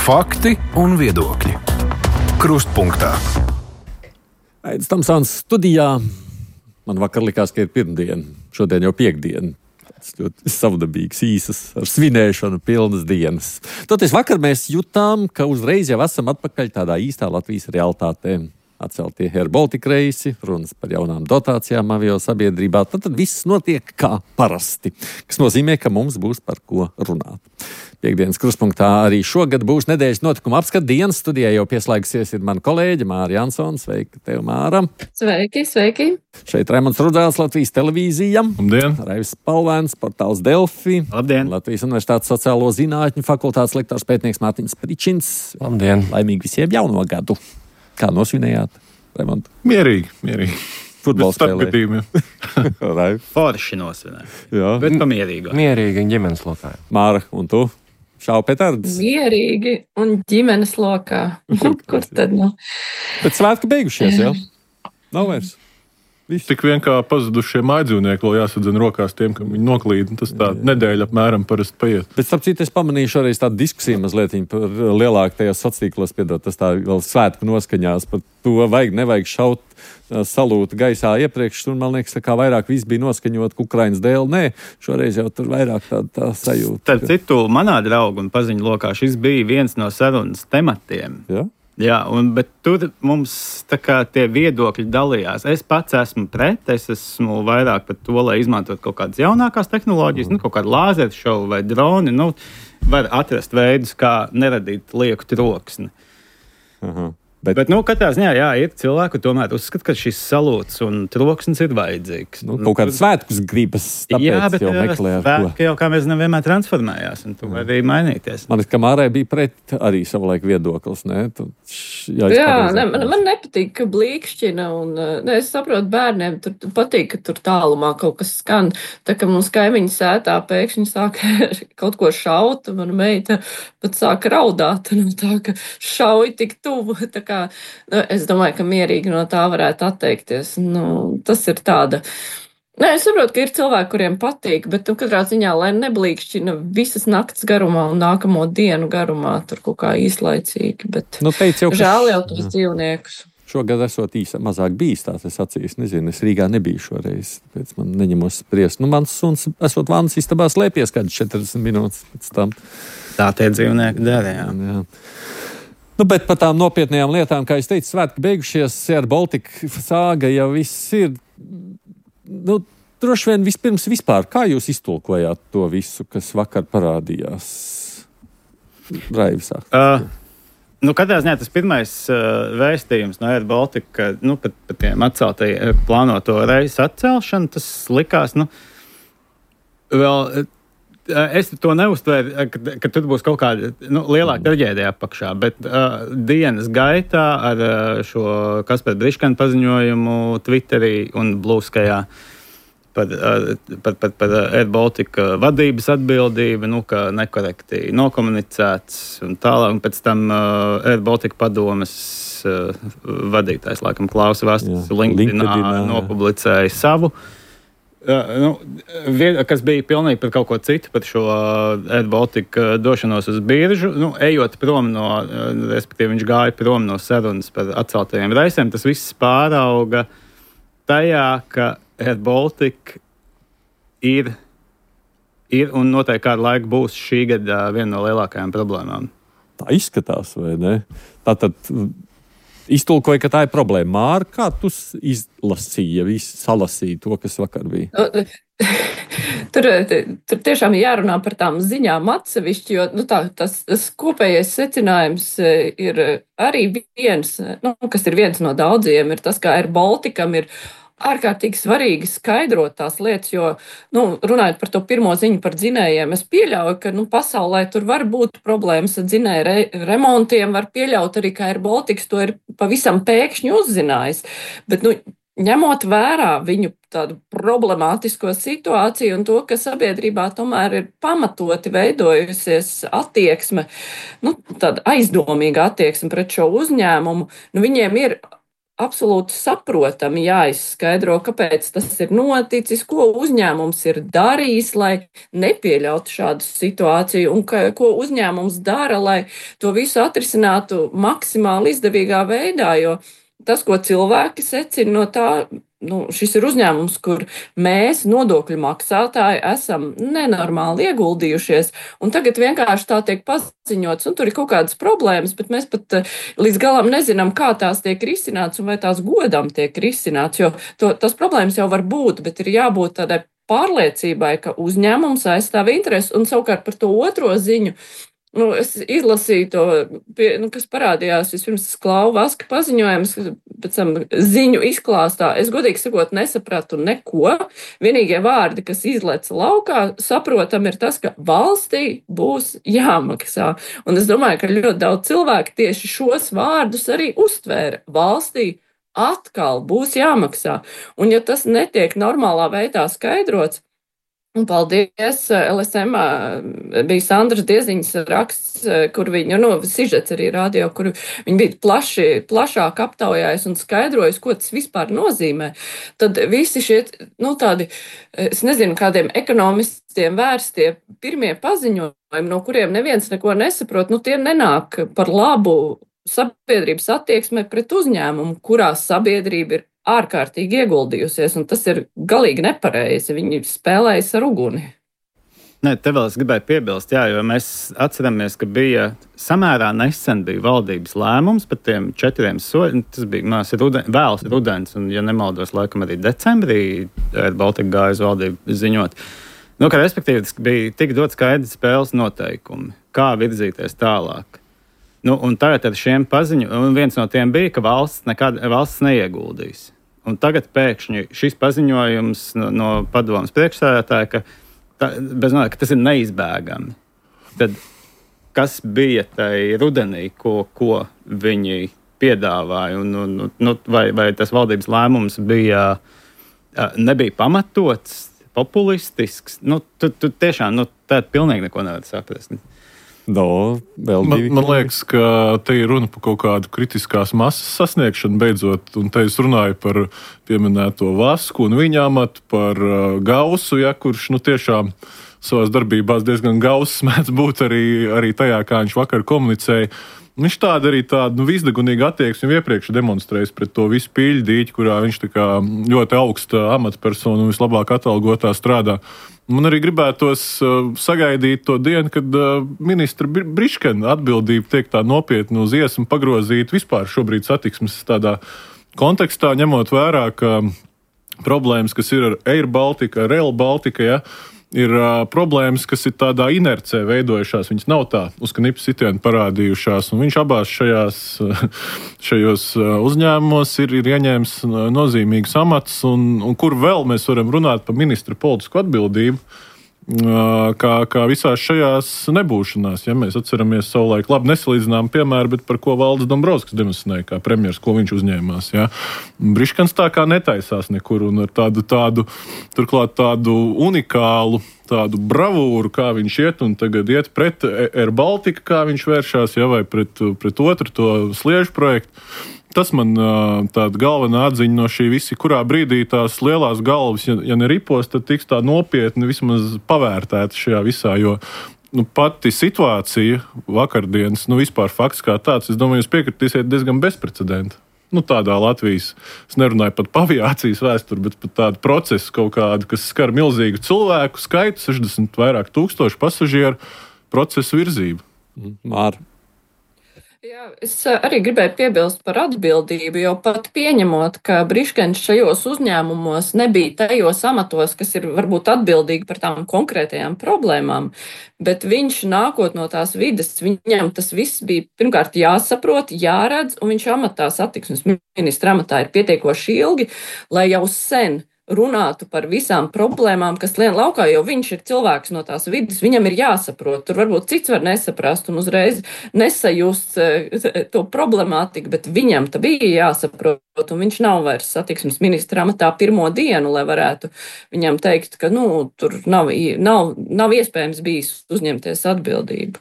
Fakti un viedokļi. Krustpunktā. Aidis Tamsāns studijā. Man vakar likās, ka ir pirmdiena. Šodien jau piekdiena. Tas ļoti savdabīgs, īsas, ar svinēšanu pilnas dienas. Toties vakar mēs jutām, ka uzreiz jau esam atpakaļ tādā īstā Latvijas realitātē. Atceltie Air Baltica reisi, runas par jaunām dotācijām avio sabiedrībā. Tad viss notiek kā parasti, kas nozīmē, ka mums būs par ko runāt. Piektdienas Krustpunktā arī šogad būs nedēļas notikuma apskata dienas. Studijā jau pieslēgusies ir mana kolēģe Māra Jansone. Sveika tev, Māra! Sveiki, sveiki! Šeit Raimonds Rudzēls, Latvijas televīzija. Labdien! Raivis Palvēns, portāls Delfi. Labdien! Latvijas Universitātes sociālo zinātņu fakultātes lektors pētnieks Mārtiņš Pričins. Labdien! Laimīgi visiem jauno gadu! Kā nosvinējāt, Raimond? Mierīgi. Futbols spēlē. Forši nosvinēja. Jā. Bet pamierīgo. Mierīgi ģimenes lokā. Māra, un tu? Šauj petardus? Mierīgi un ģimenes lokā. Kur tad, nu? Bet svētki beigušies, jā? Nav vairs. Tik vien kā pazudušie mājdzīvnieki vēl jāsadzina rokās tiem, kam viņi noklīd. Tas tā nedēļa apmēram parasti paiet. Bet, starp citu, es pamanīju šoreiz tādu diskusiju mazliet par lielāku tajos sociālos piedot, tas tā vēl svētku noskaņās par to, nevajag šaut salūtu gaisā iepriekš, un man liekas, tā kā vairāk viss bija noskaņot Ukrainas dēļ. Nē, šoreiz jau tur vairāk tā sajūta. Starp citu, manā draugu un paziņu lokā šis bija viens no sarunas tematiem. Ja? Jā, bet tur mums tā kā tie viedokļi dalījās. Es pats esmu pret, es esmu vairāk par to, lai izmantot kaut kādas jaunākās tehnoloģijas, kaut kādu lāzeru šovu vai droni. Var atrast veidus, kā neradīt lieku troksni. Bet katrā ziņā, ir cilvēki, tomēr uzskata, ka šis salūts un troksnis ir vajadzīgs. Kaut kāds svētkus gribas, tāpēc jau meklē ar ko. Svētki jau, kā mēs zinām, vienmēr transformējās, un tu vari arī mainīties. Man kā Mārai bija pret arī savulaik viedoklis, ne? Man nepatīk, ka blīkšķina, un es saprotu, bērniem tur patīk, ka tur tālumā kaut kas skan. Tā kā mums kaimiņu sētā pēkšņi sāka kaut ko šaut, un mana meita pat sāka raudāt, tā ka šauj tik tuvu. Es domāju, ka mierīgi no tā varētu atteikties. Tas ir tāda. Es saprotu, ka ir cilvēki, kuriem patīk, bet katrā ziņā, lai neblīkšķina visas nakts garumā un nākamo dienu garumā, tur kaut kā īslaicīgi. Bet žēl jau tos dzīvniekus. Šogad esot mazāk bijis tās, es acīs nezinu, es Rīgā nebiju šoreiz, tāpēc man neņemos spriest. Mans suns esot vannas istabā slēpies kāds 40 minūtes pēc tam. Tā tie dzīvnieki dara, jā. Bet par tām nopietnējām lietām, kā es teicu, svētki beigušies, Air Baltica sāga jau viss ir. Droši vien vispār, kā jūs iztulkojāt to visu, kas vakar parādījās? Raivis sāk. Katrā ziņā tas pirmais vēstījums no Air Baltica, par tiem atceltajiem plānoto reisu atcelšanu, tas likās, vēl. Es to neuztvēru, ka tur būs kaut kāda lielāka traģēdija apakšā, bet dienas gaitā ar šo Kaspera Briškana paziņojumu Twitterī un Blūskajā par Air Baltica vadības atbildību, ka nekorekti nokomunicēts un tālāk. Un pēc tam Air Baltica padomes vadītājs, laikam Klaus Vastis, LinkedInā nopublicēja savu. Kas bija pilnīgi par kaut ko citu, par šo Air Baltica došanos uz biržu. Ejot prom respektīvi viņš gāja prom no sarunas par atceltajiem reisiem, tas viss pārauga tajā, ka Air Baltica ir un noteikti kādu laiku būs šī gada viena no lielākajām problēmām. Tā izskatās, vai ne? Tātad iztulkoja, ka tā ir problēma. Māra, kā tu salasīji to, kas vakar bija? Tur tiešām jārunā par tām ziņām atsevišķi, jo tas kopējais secinājums ir arī viens, kas ir viens no daudziem, ir tas, ka Air Balticam ir ārkārtīgi svarīgi skaidrot tās lietas, jo, runājot par to pirmo ziņu par dzinējiem, es pieļauju, ka, pasaulē tur var būt problēmas ar dzinēju remontiem, var pieļaut arī, ka Air Baltica to ir pavisam pēkšņi uzzinājis, bet, ņemot vērā viņu tādu problemātisko situāciju un to, ka sabiedrībā tomēr ir pamatoti veidojusies attieksme, tāda aizdomīga attieksme pret šo uzņēmumu, viņiem ir absolūti saprotami jāizskaidro, kāpēc tas ir noticis, ko uzņēmums ir darījis, lai nepieļautu šādu situāciju, un ko uzņēmums dara, lai to visu atrisinātu maksimāli izdevīgā veidā, jo tas, ko cilvēki secina no tā, šis ir uzņēmums, kur mēs, nodokļu maksātāji, esam nenormāli ieguldījušies, un tagad vienkārši tā tiek paziņots, un tur ir kaut kādas problēmas, bet mēs pat līdz galam nezinām, kā tās tiek risināts, un vai tās godam tiek risināts, jo tas problēmas jau var būt, bet ir jābūt tādai pārliecībai, ka uzņēmums aizstāv interesi, un savukārt par to otro ziņu. Es izlasīju to, kas parādījās vispirms Klauva Vaska paziņojums, pēc tam ziņu izklāstā. Es godīgi sakot nesapratu neko. Vienīgie vārdi, kas izleca laukā, saprotam, ir tas, ka valstī būs jāmaksā. Un es domāju, ka ļoti daudz cilvēku tieši šos vārdus arī uztvēra. Valstī atkal būs jāmaksā. Un ja tas netiek normālā veidā skaidrots, un paldies, LSM bija Sandras Dieziņas raksts, kur viņa, sižets arī radio, kur viņa bija plašāk aptaujājis un skaidrojis, ko tas vispār nozīmē. Tad visi šie, tādi, es nezinu, kādiem ekonomistiem vērstie pirmie paziņojumi, no kuriem neviens neko nesaprot, tie nenāk par labu sabiedrības attieksmē pret uzņēmumu, kurā sabiedrība ir ārkārtīgi ieguldījusies, un tas ir galīgi nepareizi. Viņi spēlējas ar uguni. Nē, te vēl es gribēju piebilst, jo mēs atceramies, ka bija samērā nesen bija valdības lēmums par tiem 4 soļiem. Tas bija vēls rudens, un, ja nemaldos, laikam arī decembrī Air Baltica gāja uz valdību ziņot. Ka respektīvi tas bija tik dot skaidri spēles noteikumi, kā virzīties tālāk. Un tagad ar šiem paziņojumiem, viens no tiem bija, ka valsts neieguldīs. Un tagad pēkšņi šis paziņojums no padomas priekšsēdētāja, ka tas ir neizbēgami. Tad kas bija tai rudenī, ko viņi piedāvāja, vai tas valdības lēmums nebija pamatots, populistisks? Tu tiešām tā pilnīgi neko nevar saprast. Man liekas, ka te ir runa par kaut kādu kritiskās masas sasniegšanu beidzot, un te es runāju par pieminēto Vasku un viņa amatu, par Gausu, kurš tiešām savās darbībās diezgan gauss mēdz būt arī tajā, kā viņš vakar komunicēja. Viņš tādu visdegunīgu attieksmi iepriekš demonstrējis pret to visu pīļdīķi, kurā viņš tā kā ļoti augsta amatpersona un vislabāk atalgotā strādā. Man arī gribētos sagaidīt to dienu, kad ministra Briškena atbildība tiek tā nopietni uz iesmu pagrozīt vispār šobrīd satiksmes tādā kontekstā, ņemot vērā, ka problēmas, kas ir ar Air Baltica, ar Rail Baltica, ir problēmas, kas ir tādā inercē veidojušās. Viņas nav tā uz knipa sitienu parādījušās, un viņš abās šajos uzņēmumos ir ieņēmis nozīmīgus amatus, un kur vēl mēs varam runāt par ministra politisku atbildību, kā visās šajās nebūšanās. Ja mēs atceramies savulaik labi nesalīdzinām piemēru, bet par ko Valdis Dombrovskis demonstrēja kā premjers, ko viņš uzņēmās. Ja. Briškens tā kā netaisās nekur, un ar turklāt tādu unikālu, tādu bravūru, kā viņš iet, un tagad iet pret Air Baltica, kā viņš vēršās, vai pret otru to sliežu projektu. Tas man tāda galvenā atziņa no šī visi, kurā brīdī tās lielās galvas, ja neripos, tad tiks tā nopietni vismaz pavērtēta šajā visā, jo pati situācija vakardienas, vispār fakts kā tāds, es domāju, jūs piekritīsiet diezgan bezprecedenta. Tādā Latvijas, es nerunāju pat par aviācijas vēsturi, bet par tādu procesu kaut kādu, kas skar milzīgu cilvēku skaitu, 60 vairāk tūkstoši pasažieru procesu virzību. Māra. Jā, es arī gribēju piebilst par atbildību, jo pat pieņemot, ka Briškens šajos uzņēmumos nebija tajos amatos, kas ir varbūt atbildīgi par tām konkrētajām problēmām, bet viņš nākot no tās vides, viņam tas viss bija pirmkārt jāsaprot, jāredz, un viņš amatā satiksmes ministra amatā ir pietiekoši ilgi, lai jau sen runātu par visām problēmām, kas lien laukā, jo viņš ir cilvēks no tās vidas, viņam ir jāsaprot. Tur varbūt cits var nesaprast un uzreiz nesajust to problemātiku, bet viņam tā bija jāsaprot, un viņš nav vairs satiksmes ministra amatā pirmo dienu, lai varētu viņam teikt, ka tur nav iespējams bijis uzņemties atbildību.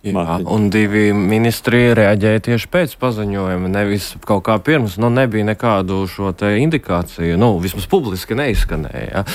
Jā, un 2 ministri reaģēja tieši pēc paziņojuma, nevis kaut kā pirms, nebija nekādu šo te indikāciju, vismaz publiski neizskanēja.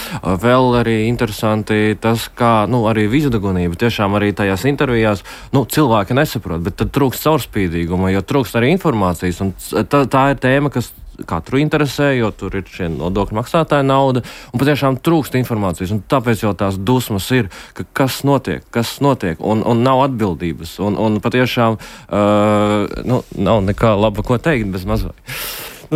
Vēl arī interesanti tas, kā, arī vizdagunība, tiešām arī tajās intervijās, cilvēki nesaprot, bet tad trūkst caurspīdīguma, jo trūkst arī informācijas, un tā ir tēma, kas katru interesē, jo tur ir šie nodokļu maksātāja nauda, un patiešām trūkst informācijas, un tāpēc jau tās dusmas ir, ka kas notiek, un nav atbildības, un patiešām nav nekā laba ko teikt bez mazvai.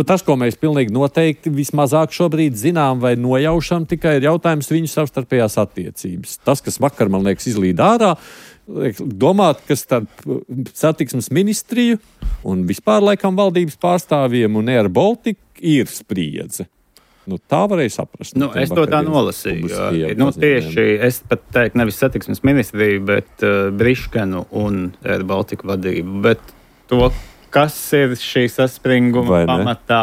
Tas, ko mēs pilnīgi noteikti vismazāk šobrīd zinām vai nojaušam, tikai ir jautājums viņu savstarpējās attiecības. Tas, kas vakar, man liekas, izlīd ārā, domāt, ka starp satiksmes ministriju un vispār laikam valdības pārstāvjiem un Air Baltica ir spriedze. Tā varēja saprast. Es to tā nolasīju. Tieši es pat teiktu nevis satiksmes ministriju, bet Briškenu un Air Baltica vadību. Bet to, kas ir šī saspringuma pamatā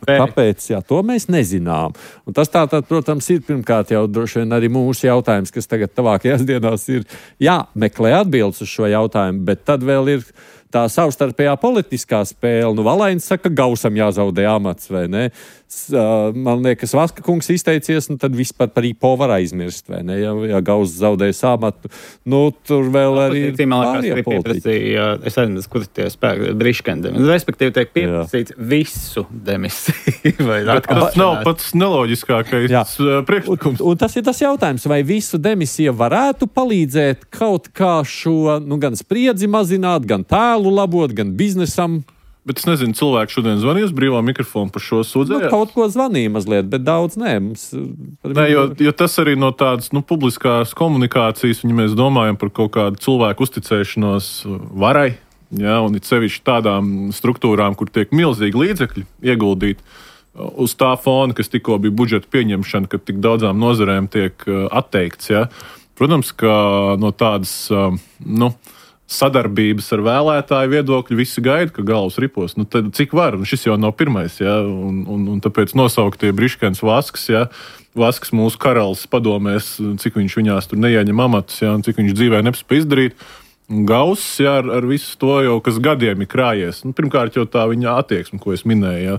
kāpēc, to mēs nezinām. Un tas tātad, protams, ir pirmkārt jau droši vien arī mūsu jautājums, kas tagad tuvākajās dienās ir jāmeklē atbildes uz šo jautājumu, bet tad vēl ir tā savstarpējā politiskā spēle. Valainis saka, Gausam jāzaudē amats, vai ne? Man liekas, Vaska kungs izteicies, tad vispār par IPO var aizmirst, vai ne? Ja Gauss zaudēs amatu, tur vēl arī ir pārējā politika. Es aizmirstu, kur tie spēki Briškendem. Respektīvi, tiek pieprasīts visu demisiju. Tas nav pats neloģiskākais priekšlikums. Un tas ir tas jautājums, vai visu demisiju varētu palīdzēt kaut kā šo, gan spriedzi mazināt, gan tēlu labot, gan biznesam. Bet es nezinu, cilvēki šodien zvanīs brīvā mikrofonu par šo sūdzēju. Kaut ko zvanīja mazliet, bet daudz nē. Jo tas arī no tādas publiskās komunikācijas, ja mēs domājam par kaut kādu cilvēku uzticēšanos varai, un it sevišķi tādām struktūrām, kur tiek milzīgi līdzekļi ieguldīti uz tā fona, kas tikko bija budžeta pieņemšana, kad tik daudzām nozarēm tiek atteikts. Protams, ka no tādas, sadarbības ar vēlētāju viedokļu visi gaida, ka galvas ripos. Tad cik var? Šis jau nav pirmais, un tāpēc nosauktie Briškens Vasks, Vasks mūsu karalis padomēs, cik viņš viņās tur neieņem amatus, un cik viņš dzīvē nespēj izdarīt. Gauss, ar visu to jau, kas gadiem ir krājies. Pirmkārt jau tā viņa attieksme, ko es minēju,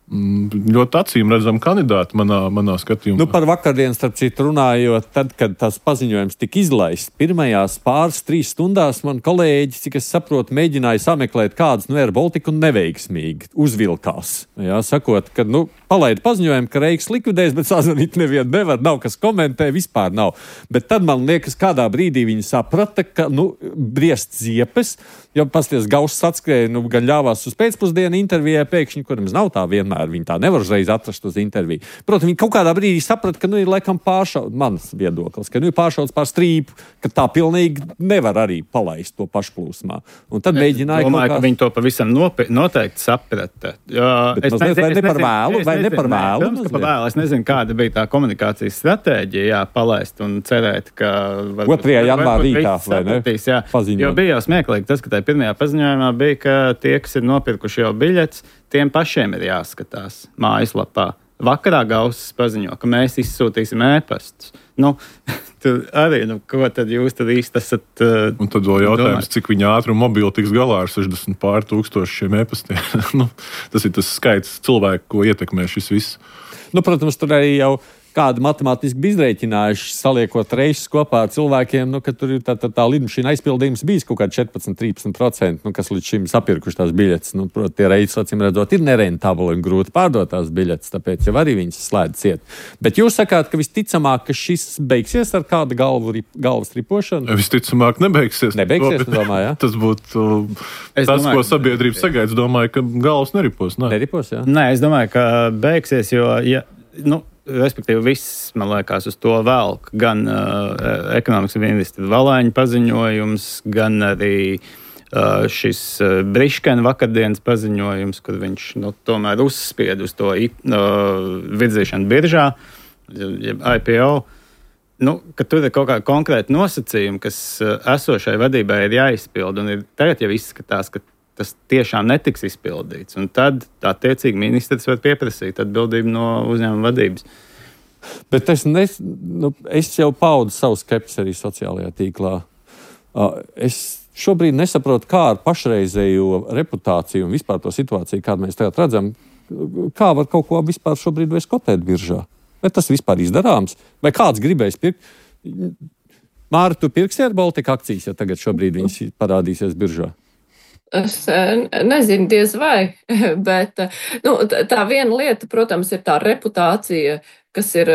ļoti acīm redzam kandidāti manā skatījumā. Par vakardien, starp citu, runājot, tad, kad tas paziņojums tika izlaists, pirmajās 2-3 stundās man kolēģi, cik es saprotu, mēģināja sameklēt kādas Air Baltica un neveiksmīgi uzvilkās. Sakot, ka, palaida paziņojumu, ka Reiks likvidēs, bet sazvanīt nevienu nevar, nav kas komentē, vispār nav. Bet tad man liekas, kādā brīdī viņi saprata, ka, briest ziepes, jo pasties Gauss atskrēja, gan ļāvās uz pēcpusdienu intervijai pēkšņi, kurams nav tā vienmēr. Viņi tā nevar uzreiz atrast uz interviju. Protams, viņi kaut kādā brīdī saprata, ka ir laikam mans viedoklis, ka ir pāršauts pār strīpu, ka tā pilnīgi nevar arī palaist to pašplūsmā. Un tad mēģināja domāju, ka viņi to pavisam noteikti saprata. Vai ne par vēlu? Es nezinu, kāda bija tā komunikācijas stratēģija, palaist un cerēt, ka 2. janvāra rītā, vai ne? Paziņot. Jo bija jau smieklīgi tas, ka tajā pirmajā paziņojumā bija, ka tie, kas ir nopirkuši jau biļetes, tiem pašiem ir jāskatās mājaslapā. Vakarā Gauss paziņo, ka mēs izsūtīsim ēpastus. Tur arī, ko tad jūs tad īsti esat un tad vēl jautājums, cik viņa ātri un mobili tiks galā ar 60 pār 1000 šiem ēpastiem. Tas ir tas skaits cilvēku, ko ietekmē šis viss. Protams, tur arī jau kādu matemātiski bija izrēķinājuši, saliekot reisus kopā ar cilvēkiem, ka tur ir tā lidmašīna aizpildījums bijis kaut kāds 14-13%, kas līdz šim sapirkuši tās biļetes. Protams, tie reisi, acīm redzot, ir nerentabli un grūti pārdot tās biļetes, tāpēc jau arī viņas slēdz ciet. Bet jūs sakāt, ka visticamāk, ka šis beigsies ar kādu galvas ripošanu? Visticamāk nebeigsies. Nebeigsies, domāju, Tas būtu tas, ko sabiedrība sagaida. Es domāju, ka galvas neripos. Neripos, jā? Nē, es domāju, ka beigsies, jo, respektīvi, viss, man liekas, uz to velk. Gan ekonomikas ministra Valaiņa paziņojums, gan arī šis Briškena vakardienas paziņojums, kur viņš tomēr uzspied uz to virzīšanu biržā, IPO. Ka tur ir kaut kāda konkrēta nosacījuma, kas esošai vadībai ir jāizpild, un tagad jau izskatās, ka tas tiešām netiks izpildīts. Un tad attiecīgi ministrs var pieprasīt atbildību no uzņēmuma vadības. Bet es jau paudu savu skepsi arī sociālajā tīklā. Es šobrīd nesaprotu, kā ar pašreizējo reputāciju un vispār to situāciju, kādu mēs tagad redzam, kā var kaut ko vispār šobrīd vairs kotēt biržā. Vai tas vispār izdarāms? Vai kāds gribēs pirkt? Māri, tu pirksi Air Baltica akcijas, ja tagad šobrīd viņas parādīsies biržā? Es nezinu, diez vai, bet tā viena lieta, protams, ir tā reputācija, kas ir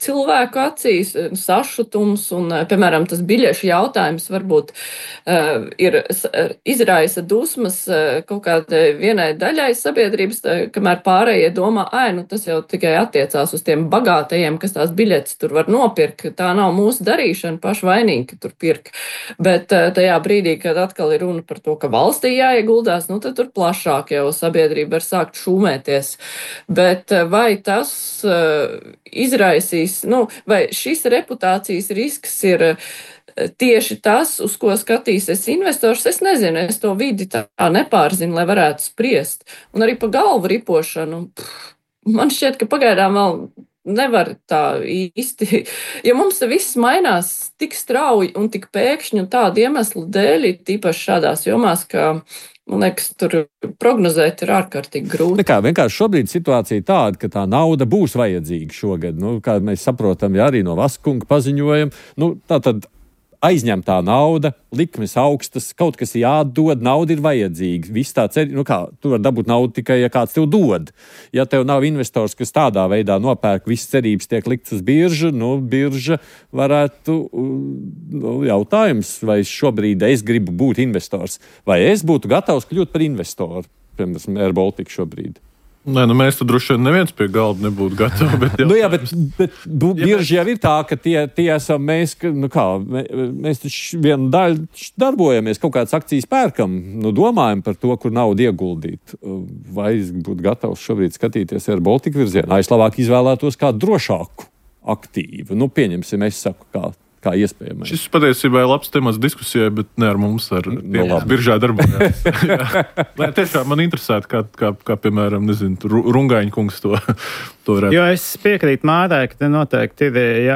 cilvēku acīs, sašutums un, piemēram, tas biļešu jautājums varbūt izraisa dusmas kaut kādai vienai daļai sabiedrības, kamēr pārējie domā, tas jau tikai attiecās uz tiem bagātajiem, kas tās biļetes tur var nopirkt. Tā nav mūsu darīšana, paši vainīgi, ka tur pirk. Bet tajā brīdī, kad atkal ir runa par to, ka valstī jāieguldās, tad tur plašāk jau sabiedrība var sākt šūmēties. Bet vai tas izraisīs, vai šis reputācijas risks ir tieši tas, uz ko skatīsies investors, es nezinu, es to vidi tā nepārzinu, lai varētu spriest. Un arī pa galvu ripošanu, man šķiet, ka pagaidām vēl nevar tā īsti, jo mums viss mainās tik strauji un tik pēkšņi un tādu iemeslu dēļ, tīpaši šādās jomās, ka man liekas, tur prognozēt ir ārkārtīgi grūti. Vienkārši šobrīd situācija tāda, ka tā nauda būs vajadzīga šogad. Kā mēs saprotam, arī no Vaskunga paziņojam, tā tad aizņemtā nauda, likmes augstas, kaut kas jādod, nauda ir vajadzīga. Viss tā tu vari dabūt naudu tikai, ja kāds tev dod. Ja tev nav investors, kas tādā veidā nopērk, visas cerības tiek likts uz biržu, birža varētu, jautājums, vai šobrīd es gribu būt investors, vai es būtu gatavs kļūt par investoru, piemēram, Air Baltica šobrīd. Nē, mēs tad droši vien neviens pie galda nebūtu gatavi. Bet bieži jau ir tā, ka tie esam mēs, mēs taču vienu daļu darbojamies, kaut kādas akcijas pērkam, domājam par to, kur naudu ieguldīt. Vai es būtu gatavs šobrīd skatīties Air Baltica virzienā? Es labāk izvēlētos kādu drošāku aktīvu. Pieņemsim, es saku, kā iespējams. Šis patiesībā ir labs temats diskusijai, bet ne ar mums, ar tiem, kas biržā darbojas. Tiešām man interesētu, kā piemēram, Rungaiņa kungs to varētu. Jo es piekrītu Mārai, ka te noteikti ir,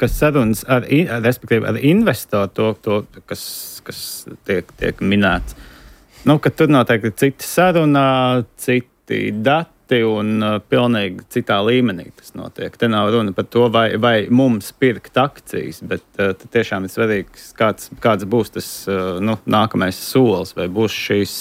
kas sarunas respektīvi ar investoru, to kas tiek minēts. Ka tur noteikti ir citi sarunā, citi dati, un pilnīgi citā līmenī tas notiek. Te nav runa par to, vai mums pirkt akcijas, bet tiešām ir svarīgs, kāds būs tas nākamais solis, vai būs šīs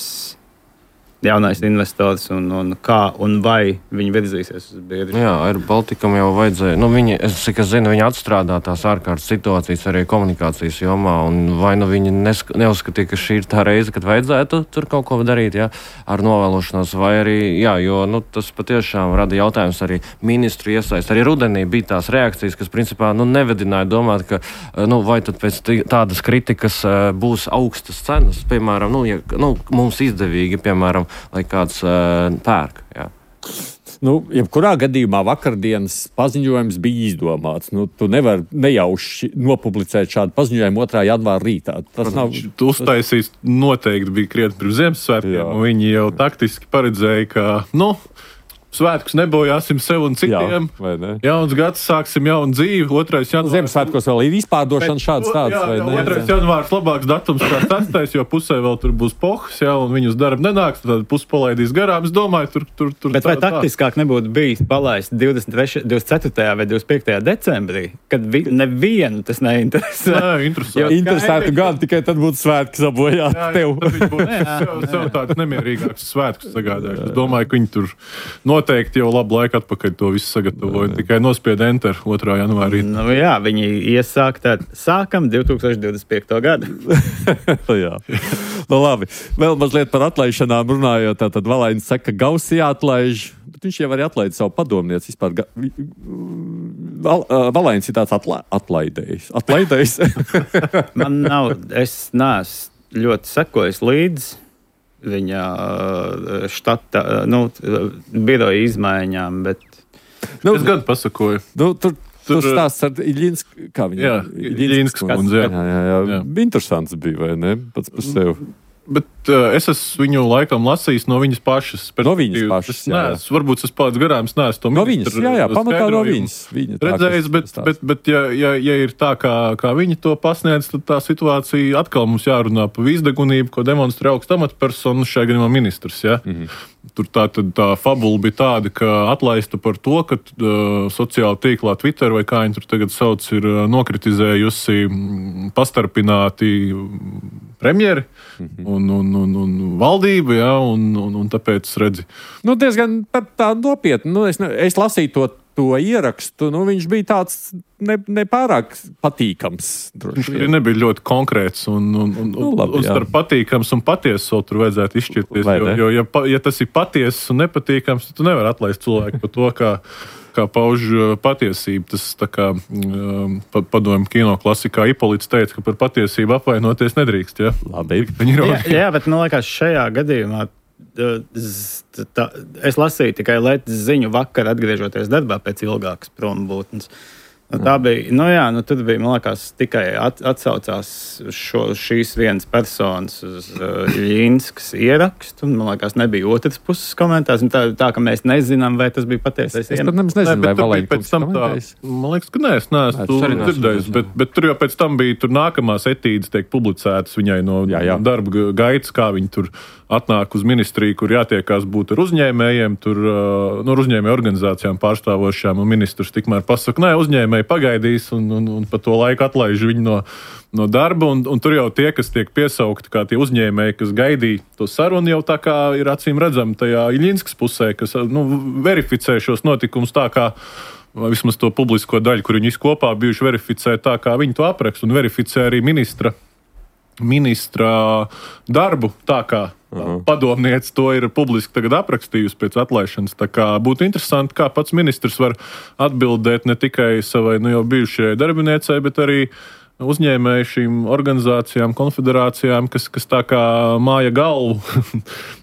jaunais investors un kā un vai viņi virzīsies uz biedru. Jā, Air Balticam jau vajadzēja. Es zinu, viņi atstrādā tās ārkārtas situācijas arī komunikācijas jomā, un vai viņi neuzskatīja, ka šī ir tā reize, kad vajadzētu tur kaut ko darīt, ar novēlošanos, vai arī, jo tas patiešām rada jautājums arī ministru iesaist. Arī rudenī bija tās reakcijas, kas principā nevedināja domāt, ka vai tad pēc tādas kritikas būs augstas cenas, piemēram, mums izdevīgi, piemēram, lai kāds pērk. Jā. Jebkurā gadījumā vakardienas paziņojums bija izdomāts. Tu nevari nejauši nopublicēt šādu paziņojumu 2. janvāra rītā. Tas nav. Tu uztaisīs noteikti bija krietni pirms Ziemassvētkiem, un viņi jau taktiski paredzēja, ka, svētkus nebojāsim sev un citiem. Jauns gads, sāksim jaunu dzīvi. 2. janvārs. Ziemassvētkos vēl ir izpārdošana šādas tādas, vai ne? 2. janvārs labāks datums kā 6. jo pusē vēl tur būs pohas, un viņi uz darbu nenāks, tad pusi palaidīs garām. Es domāju, tur. Bet vai taktiskāk nebūtu bijis palaist 24. vai 25. decembrī, kad nevienu tas neinteresē? Nē, interesanti. Interesētu gan, tikai tad būtu svētki sabojāt tev. Tad viņi būtu sev tāds nemierīgāks svētkus sagādājuši. Es domāju, ka viņi tur noteikti jau labu laiku atpakaļ to visu sagatavoja. Tikai nospied enter 2. janvārī. Viņi iesāk sākam 2025. gadu. Jā. Labi. Vēl mazliet par atlaišanām runājot. Tātad Valainis saka, ka Gauss jāatlaiž, bet viņš jau arī atlaida savu padomnieci. Valainis ir tāds atlaidējs. Man nav, es neesmu ļoti sekojis līdzi viņa štata, biroja izmaiņām, bet... Es gan pasakoju. Tur stāsts ar Iļinsku, kā viņa? Jā, Iļinskas kundze. Jā. Interesants bija, vai ne? Pats par sevi. Bet es esmu viņu laikam lasījis no viņas pašas. No viņas pašas, jā. Varbūt es pats garām neesmu to no viņas, jā, pamatā no viņas. Redzējis, bet ja ir tā, kā viņi to pasniedz, tad tā situācija atkal mums jārunā par vīzdegunību, ko demonstrē augsta amatpersona, šajā gadījumā ministrs, jā. Tur tā fabula bija tāda, ka atlaista par to, ka sociāla tīklā Twitter vai kā viņi tur tagad sauc, ir nokritizējusi pastarpināti premjeri un valdība, jā, un tāpēc redzi. Diezgan tā nopietni. Es lasīju to ierakstu, viņš bija tāds nepārāk patīkams. Viņš arī nebija ļoti konkrēts un starp patīkams un patiesas vēl tur vajadzētu izšķirties, jo ja tas ir patiesas un nepatīkams, tad tu nevar atlaist cilvēku par to, kā pauž patiesību. Tas tā kā padomju kino klasikā Ipolits teica, ka par patiesību apvainoties nedrīkst. Ja? Labi. Jā, bet man liekas, šajā gadījumā es lasīju tikai Letes ziņu vakar, atgriežoties darbā pēc ilgākas prombūtnes. Tā bija, tad bija, man liekas, tikai atsaucās šīs vienas personas uz Ļīnskas ierakstu, un, man liekas, nebija otras puses komentārs, tā, ka mēs nezinām, vai tas bija patiesais. Es pat nezinu, vai Valēņkungs komentējis. Man liekas, ka es neesmu dzirdējis, bet tur jau pēc tam bija nākamās etīdes tiek publicētas viņai no darba gaitas, kā viņi tur atnāk uz ministriju, kur jātiekās būt ar uzņēmējiem, tur ar uzņēmēju organizācijām pārstāvošām, un ministrs tikmēr pasaka, uzņēmēji pagaidīs, un pa to laiku atlaiž viņu no darba, un tur jau tie, kas tiek piesaukti, kā tie uzņēmēji, kas gaidīja to sarunu, jau tā kā ir acīm redzami tajā Ļīnskas pusē, kas verificē šos notikumus tā kā vismaz to publisko daļu, kur viņi visi kopā bijuši verificē tā, kā viņi to apraksta, un verificē arī ministra darbu, tā kā padomniece to ir publiski tagad aprakstījusi pēc atlaišanas. Tā kā būtu interesanti, kā pats ministrs var atbildēt ne tikai savai jau bijušajai darbiniecei, bet arī uzņēmēju šīm organizācijām, konfederācijām, kas tā kā māja galvu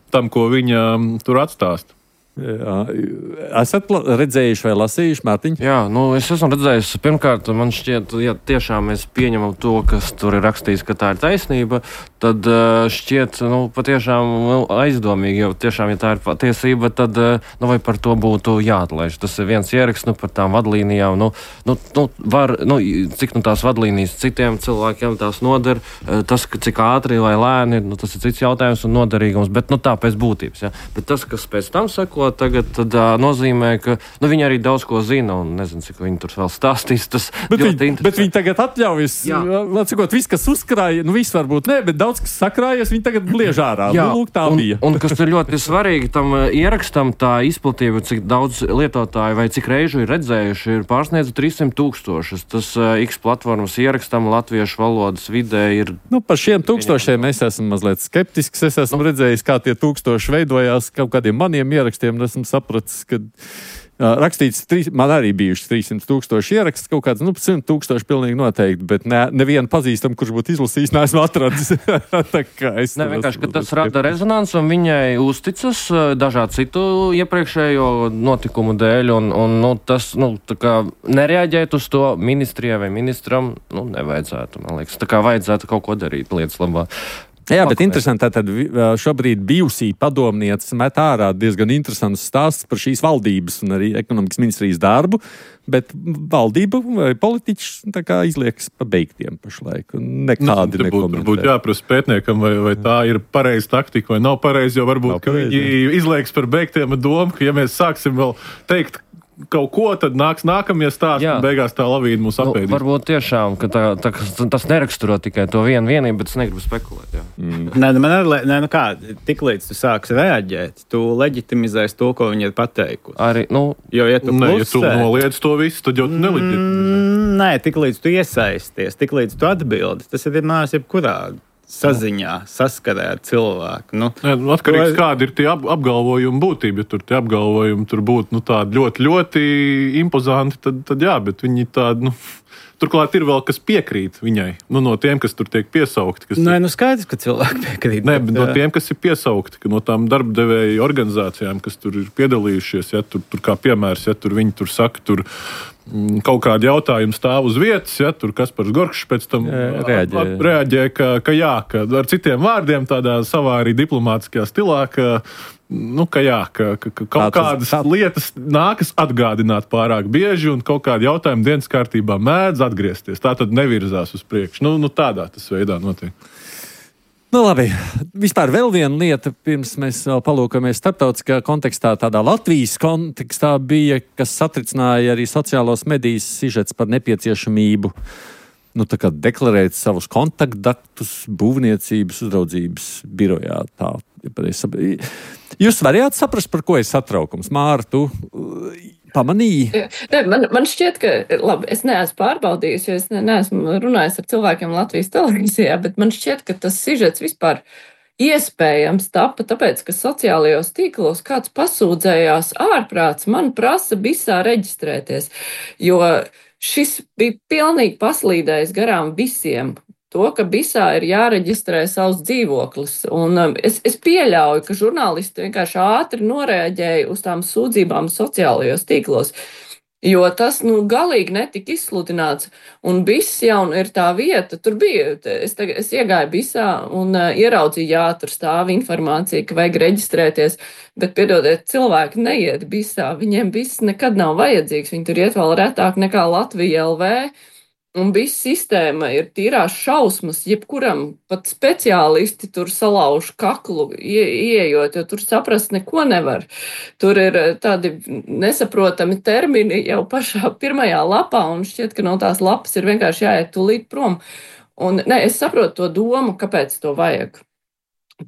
tam, ko viņa tur atstāst. Jā. Esat redzējuši vai lasījuši, Mārtiņ? Jā, es esmu redzējis. Pirmkārt, man šķiet, ja tiešām mēs pieņemam to, kas tur ir rakstīts, ka tā ir taisnība, tad šķiet, patiešām aizdomīgi, jo tiešām, ja tā ir patiesība, tad, vai par to būtu jāatlaiž. Tas ir viens ieraksts, par tām vadlīnijām, cik tās vadlīnijas citiem cilvēkiem tās noder, tas, cik ātri vai lēni, tas ir cits jautājums un noderīgums, bet tā pēc būtības, ja. Bet tas, kas pēc tam seko, tagad nozīmē, ka viņi arī daudz ko zina, un nezinu, cik viņi tur vēl stāstīs. Tas bet viņi tagad atļaujas, atsakot, viss, kas uzkrāja, viss varbūt ne, bet daudz, kas sakrājas, viņi tagad bliež ārā. Tā bija. Un kas ir ļoti svarīgi tam ierakstam, tā izplatība, cik daudz lietotāju vai cik reižu ir redzējuši, ir pārsniedz 300,000. Tas X platformas ierakstam latviešu valodas vidē ir... Par šiem 1000 es esmu mazliet skeptisks. Es esmu redzējis, kā tie 1000 veidojās kaut kādiem maniem ierakstiem. Esmu sapratis, ka rakstīts, man arī bijuši 300,000 ieraksts, kaut kāds 100,000 pilnīgi noteikti, bet nevienu pazīstam, kurš būtu izlasījis, neesmu atradis. Vienkārši, ka tas rada rezonanci, un viņai uzticas dažādu citu iepriekšējo notikumu dēļ, un tas, tā kā nereaģēt uz to ministrijai vai ministram, nevajadzētu, man liekas. Tā kā vajadzētu kaut ko darīt lietas labā. Jā, bet interesanti, tad šobrīd bijusī padomniece met ārā diezgan interesants stāsts par šīs valdības un arī ekonomikas ministrijas darbu, bet valdība vai politiķis tā kā izliekas pabeigtiem pašlaik. Nekādi nekomentē. Būtu jāprasa pētniekam, vai tā ir pareiza taktika vai nav pareiza, jo varbūt, ka viņi izliekas par beigtiem ar domu, ka ja mēs sāksim vēl teikt kaut ko, tad nāks nākamie stāsti, un beigās tā lavīna mūs apēdīs. Varbūt tiešām, ka tas neraksturo tikai to vienību, bet es negribu spekulēt. Tiklīdz tu sāksi reaģēt, tu leģitimizēsi to, ko viņi ir pateikusi. Arī, jo, ja tu noliedz to visu, tad jau neleģitimizē. Nē, tiklīdz tu iesaisties, tiklīdz tu atbildi, tas ir vienmēr jebkurā saziņā, saskarē ar cilvēku. Atkarīgs, kāda ir tie apgalvojumi būtība. Ja tur tie apgalvojumi tur būtu tādi ļoti, ļoti impozanti, tad jā, bet viņi tādi, turklāt ir vēl kas piekrīt viņai. No tiem, kas tur tiek piesaukti. Skaidrs, ka cilvēki piekrīt. Nē, bet no tiem, kas ir piesaukti, no tām darbdevēju organizācijām, kas tur ir piedalījušies, ja tur kā piemērs, ja tur viņi tur saka, tur kaut kādi jautājumi stāv uz vietas, ja tur Kaspars Gorkšs pēc tam reaģē, ka ar citiem vārdiem tādā savā arī diplomātiskajā stilā, ka kaut kādas lietas nākas atgādināt pārāk bieži un kaut kādi jautājumi dienas kārtībā mēdz atgriezties. Tā tad nevirzās uz priekšu. Tādā tas veidā notiek. Labi, vispār vēl viena lieta, pirms mēs vēl palūkamies starptautiskajā kontekstā, tādā Latvijas kontekstā bija, kas satricināja arī sociālos medijas sižets par nepieciešamību deklarēt savus kontaktdatus būvniecības uzraudzības birojā. Jūs varējāt saprast, par ko ir satraukums? Māra, tu pamanīji? Man šķiet, ka, labi, es neesmu pārbaudījis, jo es neesmu runājis ar cilvēkiem Latvijas televīzijā, bet man šķiet, ka tas sižets vispār iespējams tapa, tāpēc, ka sociālajos tīklos kāds pasūdzējās ārprāts, man prasa bisā reģistrēties, jo šis bija pilnīgi paslīdējis garām visiem. To, ka bisā ir jāreģistrē savs dzīvoklis. Un es pieļauju, ka žurnālisti vienkārši ātri noreaģēja uz tām sūdzībām sociālajos tīklos, jo tas galīgi netika izsludināts. Un biss jau ir tā vieta, tur bija, es iegāju bisā un ieraudzīju, jā, tur stāv informācija, ka vajag reģistrēties, bet, piedodiet, cilvēki neiet bisā, viņiem biss nekad nav vajadzīgs, viņi tur iet vēl retāk nekā Latvija LV. Un viss sistēma ir tīrās šausmas, jebkuram pat speciālisti tur salauž kaklu, ieejot, jo tur saprast neko nevar. Tur ir tādi nesaprotami termini jau pašā pirmajā lapā, un šķiet, ka no tās lapas ir vienkārši jāiet tūlīt prom. Un es saprotu to domu, kāpēc to vajag.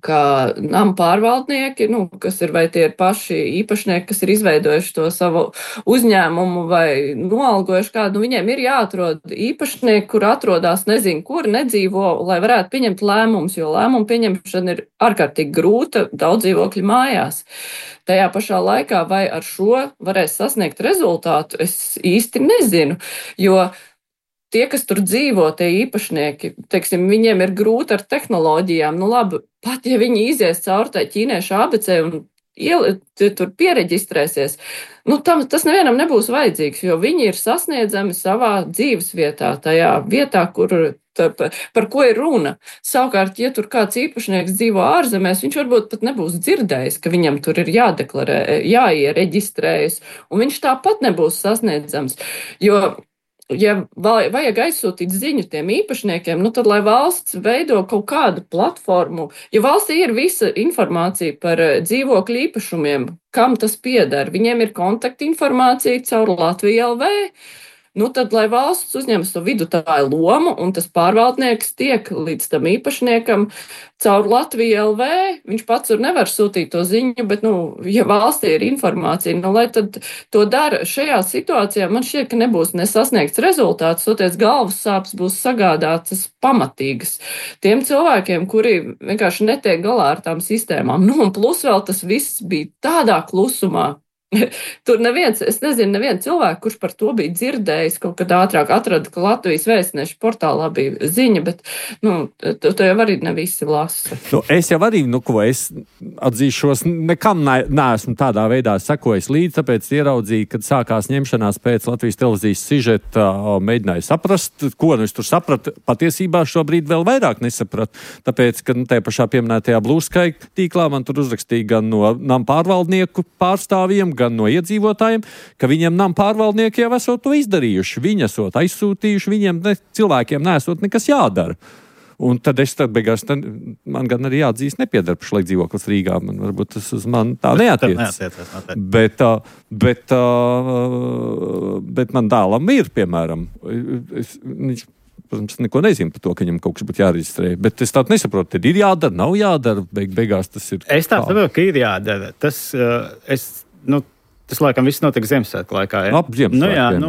Ka nama pārvaldnieki, kas ir vai tie ir paši īpašnieki, kas ir izveidojuši to savu uzņēmumu vai noalgojuši kādu, viņiem ir jāatrod īpašnieki, kur atrodas nezinu, kur nedzīvo, lai varētu pieņemt lēmumus, jo lēmumu pieņemšana ir ārkārtīgi grūta daudz dzīvokļu mājās. Tajā pašā laikā vai ar šo varēs sasniegt rezultātu, es īsti nezinu, jo tie, kas tur dzīvo, tie īpašnieki, teiksim, viņiem ir grūti ar tehnoloģijām. Labi, pat ja viņi izies caur tai ķīniešu ABC un tur piereģistrēsies, tas nevienam nebūs vajadzīgs, jo viņi ir sasniedzami savā dzīves vietā, tajā vietā, par ko ir runa. Savukārt, ja tur kāds īpašnieks dzīvo ārzemēs, viņš varbūt pat nebūs dzirdējis, ka viņam tur ir jādeklarē, jāiereģistrējas, un viņš tāpat nebūs sasniedzams, jo ja vajag aizsūtīt ziņu tiem īpašniekiem, tad lai valsts veido kaut kādu platformu, jo valstī ir visa informācija par dzīvokļu īpašumiem, kam tas pieder. Viņiem ir kontaktinformācija caur Latviju LV. Tad, lai valsts uzņemas to vidutāju lomu, un tas pārvaldnieks tiek līdz tam īpašniekam caur Latviju LV, viņš pats tur nevar sūtīt to ziņu, bet, ja valstī ir informācija, lai tad to dara šajā situācijā, man šķiet, ka nebūs nesasniegts rezultāts, toties galvas sāpes būs sagādātas pamatīgas tiem cilvēkiem, kuri vienkārši netiek galā ar tām sistēmām. Un plus vēl tas viss bija tādā klusumā. Tur neviens cilvēks, kurš par to bija dzirdējis, kaut kad ātrāk atrada, ka Latvijas vēstneša portālā bija ziņa, bet, to jau arī ne visi lasa. Es jau arī, es atzīšos, nekam neesmu tādā veidā sekojis līdzi, tāpēc ieraudzīju, kad sākās ņemšanās pēc Latvijas televīzijas sižeta, mēģināju saprast, ko es tur sapratu, patiesībā šobrīd vēl vairāk nesapratu, tāpēc, ka tajā pašā pieminētajā Blue Sky tīklā man tur uzrakstīja gan no nama pārvaldnieku pārstāvjiem, gan no iedzīvotājiem, ka viņiem nama pārvaldnieki jau esot to izdarījuši. Viņi esot aizsūtījuši, viņiem cilvēkiem nesot nekas jādara. Un tad beigās, man gan arī jāatzīst nepiedara pašlaik dzīvoklis Rīgā. Varbūt tas uz mani tā neatiecas. Bet man dēlam ir, piemēram, viņš, protams, neko nezinu par to, ka viņam kaut kas būtu jāreģistrē. Bet es tādu nesaprotu, tad ir jādara, nav jādara. Beigās tas ir. Es tā saprotu, ka ir jādara. Tas laikam viss notika Ziemassvētku laikā. Ja? Ap Ziemassvētkiem,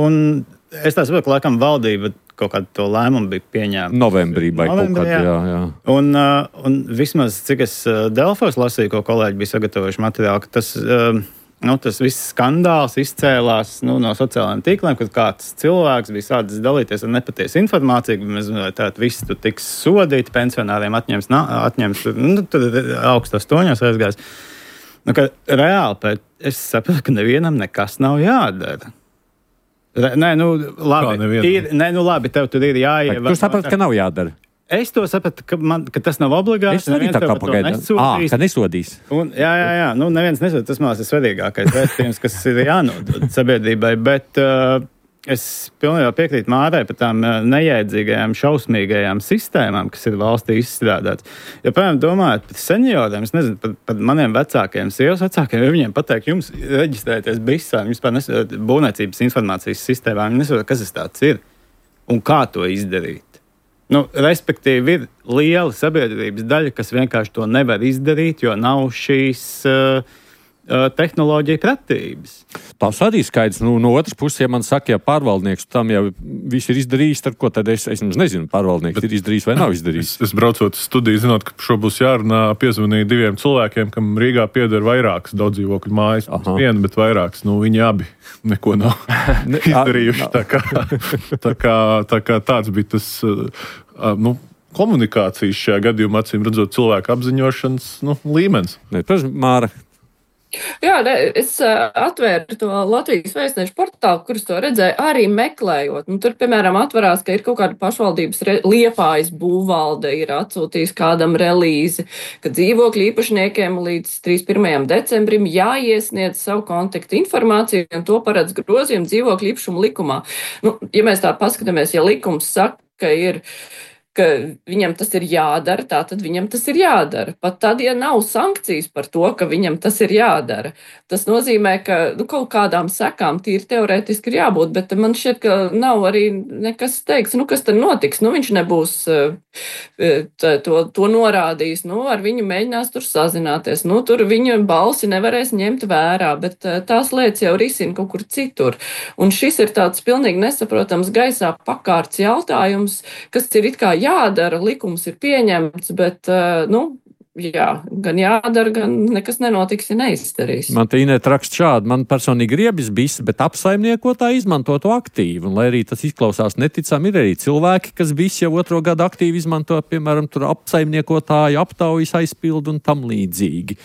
un es tā saprotu, ka laikam valdība kaut kādu to lēmumu bija pieņēma. Novembrī, jā. Un vismaz, cik es Delfos lasīju, ko kolēģi bija sagatavojuši materiālu, ka tas viss skandāls izcēlās no sociālajiem tīkliem, kad kāds cilvēks bija sācis dalīties ar nepatiesu informāciju, ka mēs tātad visi tur tiks sodīti, pensionāriem atņems tur augstos toņos aizgājis. Reāli, es saprotu, ka nevienam nekas nav jādara. Nē, labi, tev tur ir jāievēro. Tu saprati, ka nav jādara. Es to sapratu, ka tas nav obligāti. Es arī tā kā pagaidu. Ka nesodīs. Jā. Neviens nesodīs. Tas, man liekas, ir svarīgākais vēstījums, kas ir jānodod sabiedrībai. Bet es pilnībā piekrītu Mārai par tām nejēdzīgajām, šausmīgajām sistēmām, kas ir valstī izstrādātas. Ja, piemēram, domājot par senioriem, es nezinu, par maniem vecākiem, sievas vecākiem, ja viņiem pateikt, jums reģistrēties BISā, jums būvniecības informācijas sistēmā, viņi nesaprot, kas tas tāds ir un kā to izdarīt. Respektīvi, ir liela sabiedrības daļa, kas vienkārši to nevar izdarīt, jo nav šīs tehnoloģija pratības. Tas arī skaidrs. No otras puses, ja man saka, ja pārvaldnieks tam jau viss ir izdarījis, tad ko tad es nezinu, pārvaldnieks ir izdarījis vai nav izdarījis. Es braucot uz studiju, zinot, ka šo būs jārunā, piezvanīju 2 cilvēkiem, kam Rīgā pieder vairākas daudzdzīvokļu mājas. Viena, bet vairākas. Viņi abi neko nav izdarījuši. Tā kā tāds bija tas komunikācijas šajā gadījumā, acīm redzot, cilvēku apziņošanas līmenis. Protams, Māra. Jā, es atvēru to Latvijas vēstnešu portālu, kurus to redzēju, arī meklējot. Tur, piemēram, atverās, ka ir kaut kāda pašvaldības Liepājas būvvalde ir atsūtījis kādam relīzi, ka dzīvokļu īpašniekiem līdz 31. decembrim jāiesniedz savu kontaktu informāciju, un to paredz grozījumu dzīvokļu īpašumu likumā. Ja mēs tā paskatāmies, ja likums saka, ka viņam tas ir jādara, tad viņam tas ir jādara. Pat tad, ja nav sankcijas par to, ka viņam tas ir jādara. Tas nozīmē, ka kaut kādām sekām tīri teorētiski ir jābūt, bet man šķiet, ka nav arī nekas teiks, kas tad notiks. Viņš nebūs to norādījis, ar viņu mēģinās tur sazināties. Tur viņa balsi nevarēs ņemt vērā, bet tās lietas jau risina kaut kur citur. Un šis ir tāds pilnīgi nesaprotams gaisā pakārts jautājums, kas ir it kā jādara, likums ir pieņemts, bet, gan jādara, gan nekas nenotiks, ja neizdarīs. Man te Inēt raksta šādi, man personīgi riebis bijis, bet apsaimniekotāji izmanto to aktīvi, un lai arī tas izklausās neticami, ir arī cilvēki, kas visi jau 2. gadu aktīvi izmanto, piemēram, tur apsaimniekotāju, aptaujas aizpildu un tam līdzīgi.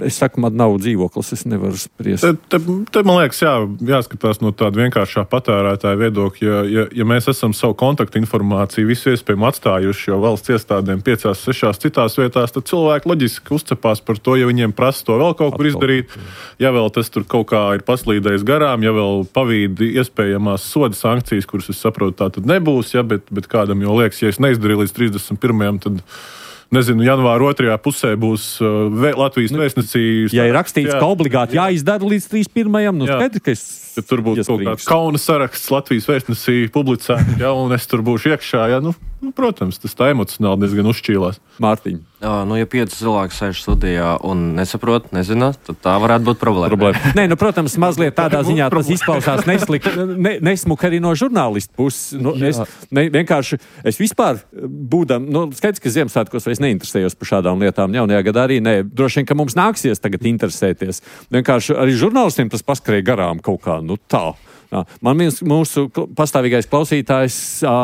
Es saku, man nav dzīvoklis, es nevaru spriest. Te man liekas, jāskatās no tāda vienkāršā patērētāja viedokļa. Ja mēs esam savu kontaktu informāciju visu iespējami atstājuši jau valsts iestādēm 5, 6 citās vietās, tad cilvēki loģiski uzcepās par to, ja viņiem prasa to vēl kaut kur izdarīt. Ja vēl tas tur kaut kā ir paslīdējis garām, ja vēl pavīdi iespējamās soda sankcijas, kuras es saprotu, tā tad nebūs, bet kādam jau liekas, ja es neizdarīju līdz 31. tad nezinu, janvāra 2. pusē būs Latvijas vēstnesī. Ja ir rakstīts, ka obligāti jāizdara līdz 31. Skaidrs, ka es tur būtu kaut kāds kauna saraksts Latvijas vēstnesī publicēts, un es tur būšu iekšā. Protams, tas tā emocionāli diezgan uzšķīlās. Mārtiņ. Ja 5 cilvēki sēž studijā un nesaprot, nezinās, tad tā varētu būt problēma. Nē, protams, mazliet tādā ziņā tas izklausās nesmuki arī no žurnālistu puses. Es vispār būdam, skaidrs, ka Ziemassvētkos vairs neinteresējos par šādām lietām. Jaunajā gadā arī nē. Droši vien, ka mums nāksies tagad interesēties. Vienkārši arī žurnālistiem tas paskrēja garām kaut kā, tā. Man mūsu pastāvīgais klausītājs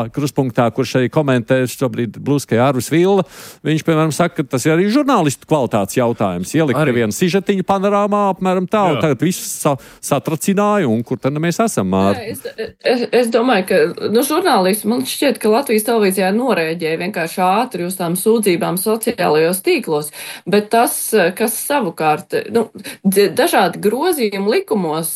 Kruspunktā, kurš arī komentē šobrīd Bluskajā Arvis Villa, viņš, piemēram, saka, ka tas ir arī žurnālistu kvalitātes jautājums. Ielikt vienu sižetiņu panorāmā, apmēram tā, un tagad viss satracināja, un kur tad mēs esam, Māri? Es domāju, ka žurnālisti, man šķiet, ka Latvijas televīzijā norēģēja vienkārši ātri uz tām sūdzībām sociālajos tīklos, bet tas, kas savukārt, dažādi grozījumi likumos,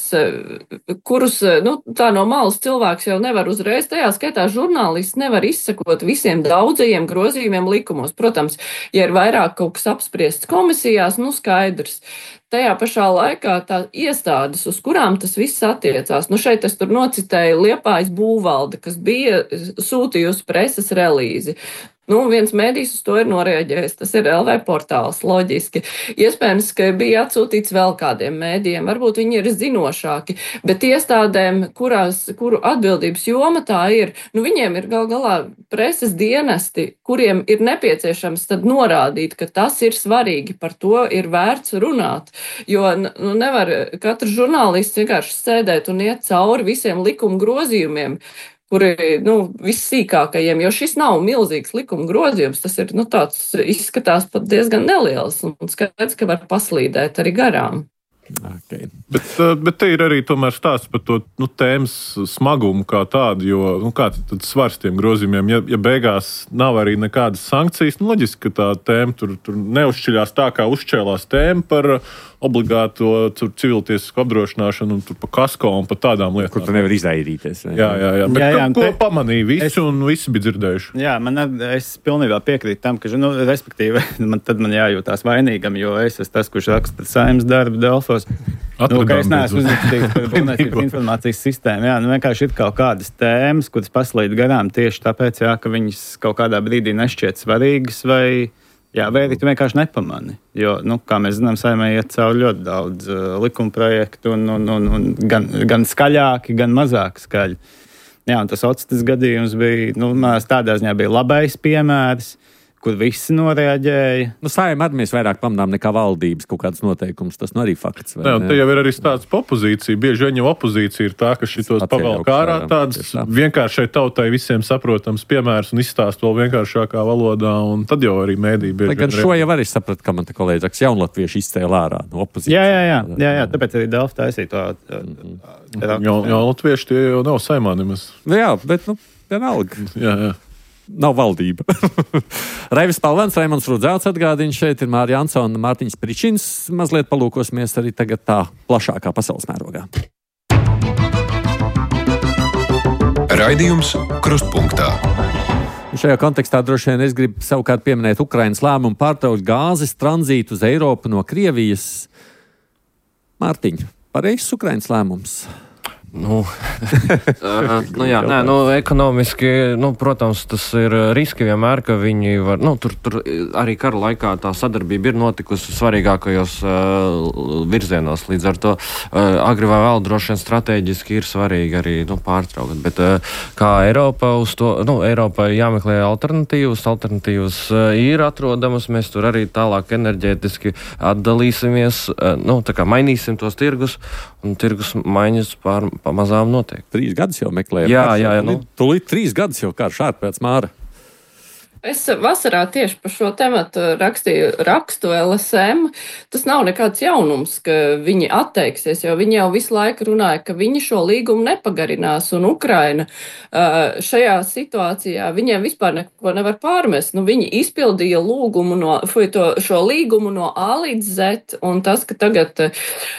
kurus tā no malas cilvēks jau nevar uzreiz, tajā skaitā žurnālists nevar izsakot visiem daudzajiem grozījumiem likumos. Protams, ja ir vairāk kaut kas apspriests komisijās, skaidrs. Tajā pašā laikā tā iestādes, uz kurām tas viss attiecās. Šeit es tur nocitēju Liepājas būvvalde, kas bija sūtījusi preses relīzi. Viens mēdījis uz to ir noreaģējis, tas ir LV portāls, loģiski. Iespējams, ka bija atsūtīts vēl kādiem mēdījiem, varbūt viņi ir zinošāki, bet iestādēm, kuru atbildības joma tā ir, viņiem ir gal galā preses dienesti, kuriem ir nepieciešams tad norādīt, ka tas ir svarīgi, par to ir vērts runāt, jo nevar katrs žurnālists vienkārši sēdēt un iet cauri visiem likuma grozījumiem, kuri, vissīkākajiem, jo šis nav milzīgs likuma grozījums, tas ir, tāds izskatās pat diezgan neliels, un skaidrs, ka var paslīdēt arī garām. Okay. Bet te ir arī tomēr stāsts par to tēmas smagumu kā tādu, jo kāds ir tad svars tiem grozījumiem? Ja beigās nav arī nekādas sankcijas, loģiski, ka tā tēma tur neuzšķiļās tā, kā uzšķēlās tēma par obligāto civiltiesisku apdrošināšanu un tur pa kasko un pa tādām lietām. Kur tu nevar izvairīties. Jā. Bet ko pamanīja visi un visi bija dzirdējuši? Jā, es pilnībā piekrītu tam, ka, respektīvi, man jājūtās vainīgam, jo es esmu tas, kurš raksta Saeimas darbu Delfos. Ka es neesmu uzrakstīts par būvniecības informācijas sistēmu. Jā, vienkārši ir kaut kādas tēmas, kuras paslīd garām tieši tāpēc, ka viņas kaut kādā brīdī nešķiet svarīgas vai arī tu vienkārši nepamani. Jo, kā mēs zinām, Saeimai iet cauri ļoti daudz likumprojektu un gan skaļāki, gan mazāk skaļi. Jā, un tas otstas gadījums bija, tādā ziņā bija labais piemērs, kur visi noreaģēja. Saeimā arī mēs vairāk pamanām nekā valdības kaut kādas noteikumus. Tas arī fakts. Jā, te jau ir arī tāds pa opozīciju. Bieži vien jau opozīcija ir tā, ka šitos pavēl kārā tāds vienkāršai tautai visiem saprotams piemērs un izstāst vēl vienkāršākā valodā, un tad jau arī mēdī bieži. Gan šo jau arī sapratu, ka man te kolēģis saka, jaunatvieši izcēla ārā no opozīcijas. Jā, tāpēc arī Delfi taisīja to. Jaunatvieši tie jau nav Saeimā nemaz. Jā, bet, vienalga. Jā. Nav valdība. Raivis Palvens, Raimonds Rudzelts atgādina, šeit ir Mārija Ansona un Mārtiņš Pričins. Mazliet palūkosimies arī tagad tā plašākā pasaules mērogā. Raidījums Krustpunktā. Šajā kontekstā droši vien es gribu savukārt pieminēt Ukrainas lēmumu pārtraukt gāzes tranzītu uz Eiropu no Krievijas. Mārtiņ, pareizs Ukrainas lēmums? Ekonomiski, protams, tas ir riski vienmēr, ka viņi var, tur arī kara laikā tā sadarbība ir notikusi svarīgākajos virzienos, līdz ar to agri vai vēl droši vien strateģiski ir svarīgi arī, pārtraukt, bet kā Eiropa uz to, Eiropai jāmeklē alternatīvas ir atrodamas, mēs tur arī tālāk enerģētiski atdalīsimies, tā kā mainīsim tos tirgus, un tirgus maiņas pamazām notiek. 3 gadus jau meklējam. Jā. Tūlīt 3 gadus jau karš ārpēc Māra. Es vasarā tieši par šo tematu rakstu LSM. Tas nav nekāds jaunums, ka viņi atteiksies, jo viņi jau visu laiku runāja, ka viņi šo līgumu nepagarinās, un Ukraina šajā situācijā viņiem vispār neko nevar pārmest. Viņi izpildīja šo līgumu no A līdz Z, un tas, ka tagad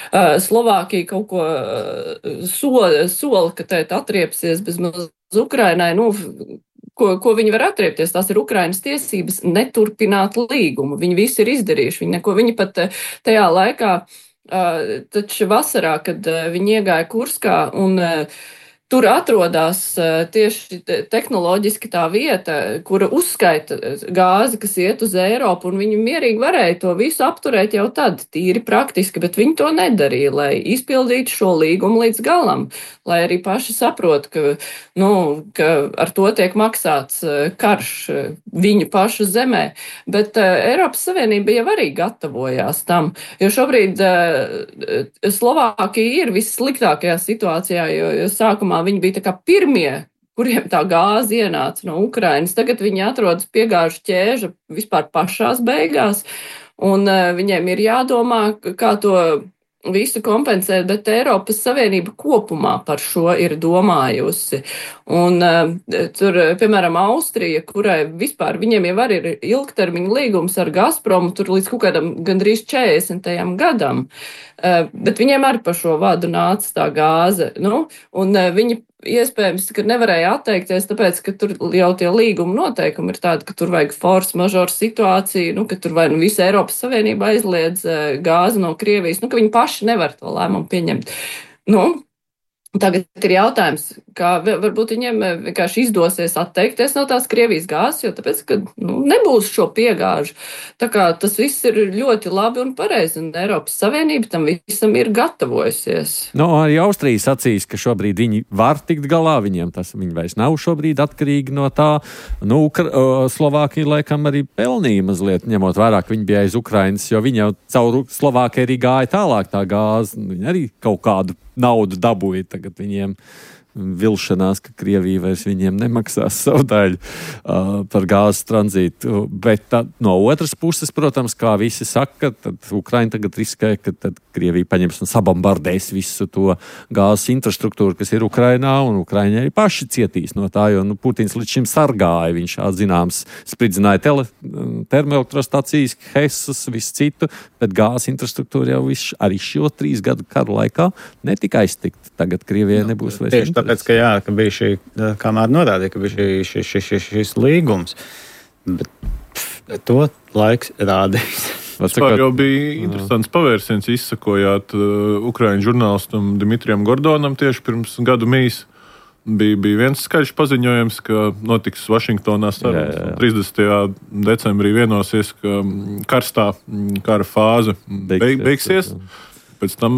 Slovākija kaut ko sola, ka tēt atriepsies bez Ukrainai, Ko viņi var atriepties, tās ir Ukrainas tiesības neturpināt līgumu. Viņi visi ir izdarījuši. Viņi pat tajā laikā, taču vasarā, kad viņi iegāja Kurskā un tur atrodas tieši tehnoloģiski tā vieta, kura uzskaita gāzi, kas iet uz Eiropu, un viņi mierīgi varēja to visu apturēt jau tad, tīri praktiski, bet viņi to nedarīja, lai izpildītu šo līgumu līdz galam, lai arī paši saprot, ka ar to tiek maksāts karš viņu pašu zemē. Bet Eiropas Savienība jau arī gatavojās tam, jo šobrīd Slovākija ir vissliktākajā situācijā, jo sākumā viņi bija tā kā pirmie, kuriem tā gāze ienāca no Ukrainas. Tagad viņi atrodas piegāžu ķēža vispār pašās beigās, un viņiem ir jādomā, kā to visu kompensēt, bet Eiropas Savienība kopumā par šo ir domājusi. Un tur, piemēram, Austrija, kurai vispār viņiem jau arī ir ilgtermiņa līgums ar Gazpromu, tur līdz kaut kādam gandrīz 40. gadam, bet viņiem arī par šo vadu nāca tā gāze. Un viņi iespējams, ka nevarēja atteikties, tāpēc, ka tur jau tie līguma noteikumi ir tādi, ka tur vajag force majeure situāciju, ka tur vai visa Eiropas Savienība aizliedz gāzi no Krievijas, ka viņi paši nevar to lēmumu pieņemt. Tagad ir jautājums, kā varbūt viņiem vienkārši izdosies atteikties no tās Krievijas gāzes, jo tāpēc, ka nebūs šo piegāžu. Tā kā tas viss ir ļoti labi un pareizi, un Eiropas Savienība tam visam ir gatavojusies. Arī Austrija sacīs, ka šobrīd viņi var tikt galā, viņi vairs nav šobrīd atkarīgi no tā. Slovākija laikam arī pelnīja mazliet, ņemot vērā, ka viņi bija aiz Ukrainas, jo viņi jau caur Slovākiju arī gāja tālāk tā gāze, viņi arī kaut kādu naudu dabūja tagad viņiem. vilšanās, ka Krievija vairs viņiem nemaksās savu daļu par gāzes tranzītu. Bet no otras puses, protams, kā visi saka, tad Ukraina tagad riskē, ka tad Krievija paņems un sabombardēs visu to gāzes infrastruktūru, kas ir Ukrainā, un Ukraiņi arī paši cietīs no tā, jo Putins līdz šim sargāja. Viņš atzināms spridzināja termoelektrostacijas, Hesas, visu citu, bet gāzes infrastruktūra jau arī šo 3 gadu karu laikā netika aiztikt. Tagad Krievijai nebūs vairs tieši tāpēc, ka bija šī, kamēr norādīja, ka bija šis līgums, bet to laiks rādīs. Vispār jau bija interesants pavērsiens, izsakojāt Ukraiņu žurnālistam Dimitrijam Gordonam tieši pirms gadu mīs. Bija viens skaļš paziņojums, ka notiks Vašingtonā sarunas. 30. decembrī vienosies, ka karstā kara fāze beigsies. Pēc tam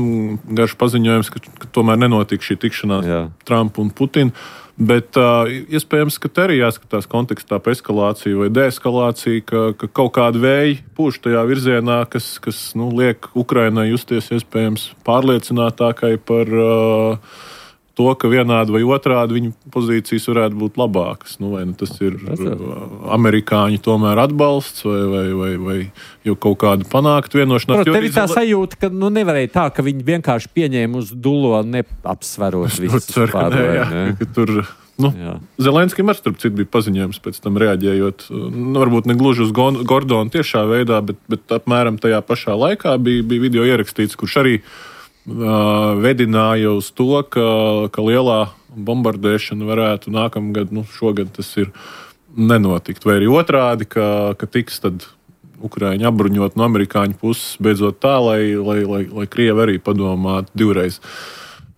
garš paziņojums, ka tomēr nenotika šī tikšanās Trumpa un Putina. Bet iespējams, ka te arī jāskatās kontekstā pa eskalāciju vai deeskalāciju, ka kaut kādi vēji pūš tajā virzienā, kas liek Ukrainai justies iespējams pārliecinātākai par to, ka vienādi vai otrādi viņu pozīcijas varētu būt labākas. Vai tas ir amerikāņu tomēr atbalsts vai jau kaut kāda panākt vienošanās. Protams, tev ir tā sajūta, ka nevarēja tā, ka viņi vienkārši pieņēma uz dullo neapsverot visus pārējiem. Zelenskim ar starp citu bija paziņojums pēc tam reaģējot, varbūt ne gluži uz Gordonu tiešā veidā, bet apmēram tajā pašā laikā bija video ierakstīts, kurš arī vedināja uz to, ka lielā bombardēšana varētu nākamgad, šogad tas ir nenotikt. Vai arī otrādi, ka tiks tad Ukraiņi apbruņot no amerikāņu puses beidzot tā, lai Krievi arī padomātu divreiz,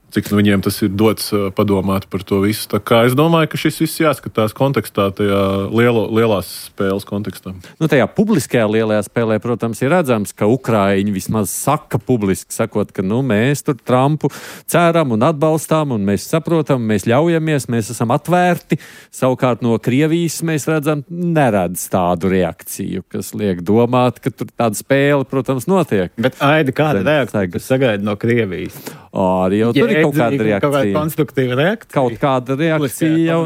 cik viņiem tas ir dots padomāt par to visu. Tā kā es domāju, ka šis viss jāskatās kontekstā, tajā lielās spēles kontekstā. Tajā publiskajā lielajā spēlē, protams, ir redzams, ka Ukraiņi vismaz saka publiski, sakot, ka mēs tur Trumpu ceram un atbalstām, un mēs saprotam, mēs ļaujamies, mēs esam atvērti. Savukārt no Krievijas mēs redzam, neredz tādu reakciju, kas liek domāt, ka tur tāda spēle, protams, notiek. Bet Aidi, kāda reakcija, kas sagaida no Krievijas? Arī jau tur ir kaut kāda reakcija. Kaut kāda konstruktīva reakcija. Kaut kāda reakcija jau,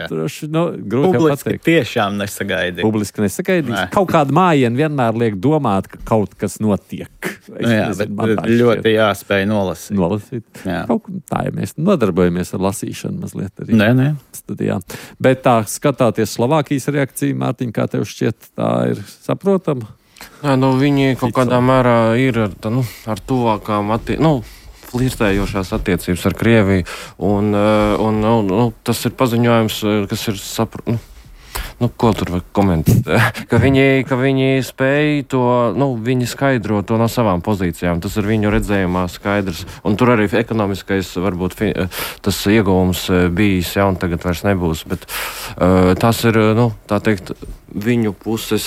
droši, grūti jau pateikt. Publiski tiešām nesagaidīja. Publiski nesagaidīja. Kaut kāda mājiena vienmēr liek domāt, ka kaut kas notiek. Bet ļoti jāspēj nolasīt. Tā, ja mēs nodarbojamies ar lasīšanu mazliet arī. Nē. Studijā. Bet tā, skatāties Slovākijas reakciju, Mārtiņ, kā tev šķiet, tā ir saprotama? Viņi kaut kādā mērā ir ar tuvākām flirtējošās attiecības ar Krieviju, un tas ir paziņojums, kas ir ko tur var komentēt? ka viņi spēj to, viņi skaidro to no savām pozīcijām. Tas ir viņu redzējumā skaidrs. Un tur arī ekonomiskais, varbūt, tas ieguvums bijis, un tagad vairs nebūs. Bet tas ir, tā teikt, viņu puses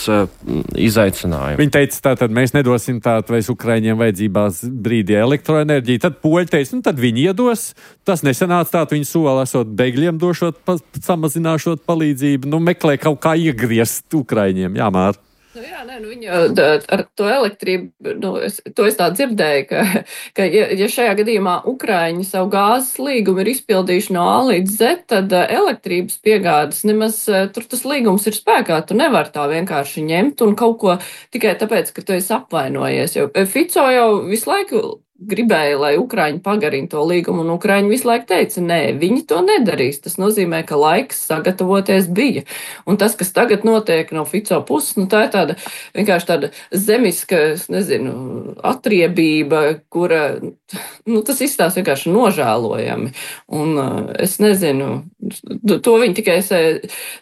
izaicinājumi. Viņi teica, tātad mēs nedosim vairs Ukraiņiem vajadzībās brīdī elektroenerģiju. Tad poļi teica, tad viņi iedos. Tas nesanāca tā, viņi sola esot bēgļiem došot, samazināšot palīdzību. Meklē kaut kā iegriezt Ukraiņiem. Jā, Mār. Viņi ar to elektrību, to es tā dzirdēju, ka ja šajā gadījumā Ukraiņi savu gāzes līgumu ir izpildījuši no A līdz Z, tad elektrības piegādes nemaz tur tas līgums ir spēkā. Tu nevar tā vienkārši ņemt un kaut ko tikai tāpēc, ka tu esi apvainojies. Jo Fico jau visu laiku gribēja, lai Ukraiņi pagarina to līgumu, un Ukraiņi visu laiku teica, nē, viņi to nedarīs. Tas nozīmē, ka laiks sagatavoties bija. Un tas, kas tagad notiek no Fico puses, tā ir tāda vienkārši tāda zemiska, atriebība, kura, tas izstās vienkārši nožēlojami. Un es nezinu, to viņi tikai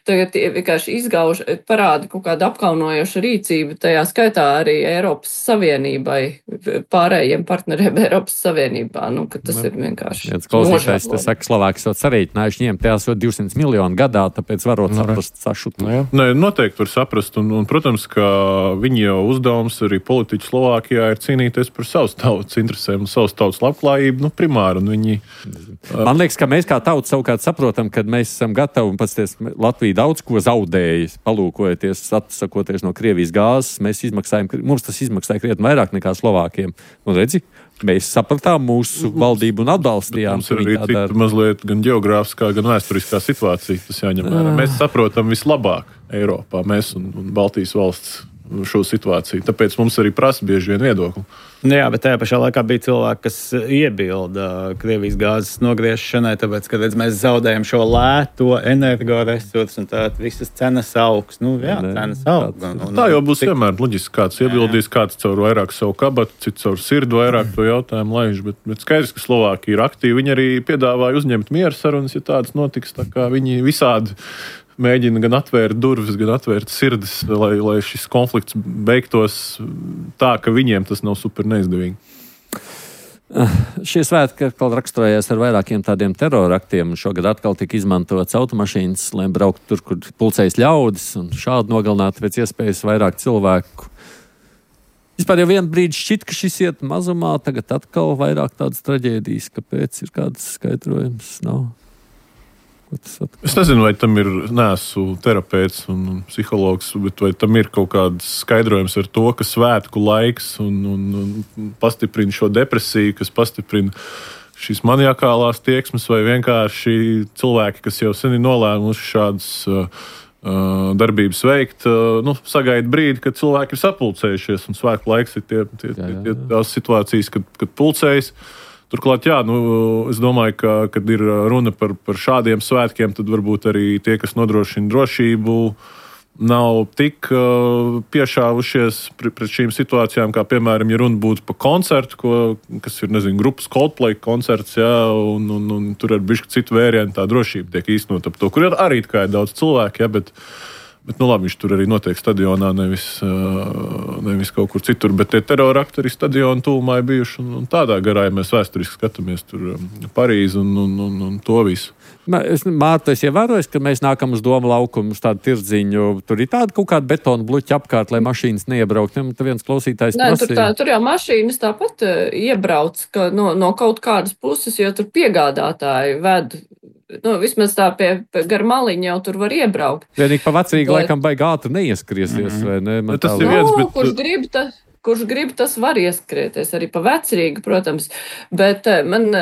tagad vienkārši izgauž, parāda kaut kādu apkaunojošu rīcību, tajā skaitā arī Eiropas Savienībai, pārējiem partneriem Eiropas Savienībā, ka tas ir vienkārši. Klausītājs, tas saka, Slovākijas jau sarīķinājuši, ņem tās 200 miljonu gadā, tāpēc varot saprast sašutu. Nē, noteikti var saprast, un protams, ka viņi jau uzdevums arī politiķi Slovākijā ir cīnīties par savas tautas interesēm un savas tautas labklājību, primāri, un viņi... Man liekas, ka mēs kā tauta savukārt saprotam, kad mēs esam gatavi, un pats Latvija daudz ko zaudējas, palūkojoties, atsakoties no Krievijas gāzes, mums tas izmaksāja krietni vairāk nekā Slovākiem. Un redzi, mēs sapratām mūsu valdību un atbalstījām. Mums ir arī cita mazliet gan geogrāfiskā, gan vēsturiskā situācija. Tas jāņem vērā. Mēs saprotam vislabāk Eiropā, mēs un Baltijas valsts šo situāciju. Tāpēc mums arī prasa bieži vien viedokli. Jā, bet tajā pašā laikā bija cilvēki, kas iebilda Krievijas gāzes nogriešanai, tāpēc, ka mēs zaudējam šo lēto energoresursu un tā visas cenas augs. Cenas aug. Tā jau būs vienmēr loģiski. Kāds iebildīs, kāds caur vairāk savu kabatu, cits caur sirdu vairāk to jautājumu laiž. Bet skaidrs, ka Slovākija ir aktīva. Viņi arī piedāvāja uzņemt miera sarunas, ja tādas notiks. Tā kā viņi visādi mēģina gan atvērt durvis, gan atvērt sirdis, lai šis konflikts beigtos tā, ka viņiem tas nav super neizdevīgi. Šie svētki atkal raksturojās ar vairākiem tādiem teroraktiem. Šogad atkal tika izmantots automašīnas, lai brauktu tur, kur pulcējas ļaudis un šādi nogalinātu pēc iespējas vairāk cilvēku. Vispār jau vienu brīdi šķiet, ka šis iet mazumā, tagad atkal vairāk tādas traģēdijas. Kāpēc ir kāds skaidrojums? Nav. Es nezinu, vai tam ir, neesmu terapeits un psihologs, bet vai tam ir kaut kāds skaidrojums ar to, ka svētku laiks un pastiprina šo depresiju, kas pastiprina šīs maniakālās tieksmes, vai vienkārši cilvēki, kas jau sen ir nolēmuši šādas darbības veikt, sagaida brīdi, kad cilvēki ir sapulcējušies, un svētku laiks ir tās situācijas, kad pulcējas. Turklāt, es domāju, ka, kad ir runa par šādiem svētkiem, tad varbūt arī tie, kas nodrošina drošību, nav tik piešāvušies pret šīm situācijām, kā, piemēram, ja runa būtu par koncertu, kas ir, grupas Coldplay koncerts, un tur ar bišķi citu vērienu tā drošība tiek īstenot ap to, kur arī kā ir daudz cilvēku, bet labi, viņš tur arī notiek stadionā, nevis kaut kur citur, bet tie terorakti arī stadionu tūmā ir bijuši, un tādā garā, ja mēs vēsturiski skatāmies tur Parīzi un to visu. Mārta, es ievēroju, ka mēs nākam uz Doma laukumu, uz tādu tirdziņu. Tur ir tāda kaut kāda betona bluķa apkārt, lai mašīnas neiebraukt. Tur viens klausītājs prasīja. Tur jau mašīnas tāpat iebrauc no kaut kādas puses, jo tur piegādātāji ved. Vismaz tā gar maliņu jau tur var iebraukt. Vienīgi pa vecrīgi laikam baigi ātri neieskrieties, vai ne? Tas ir viens, bet... Kurš grib, tas var ieskrieties arī pa vecrīgu, protams, bet man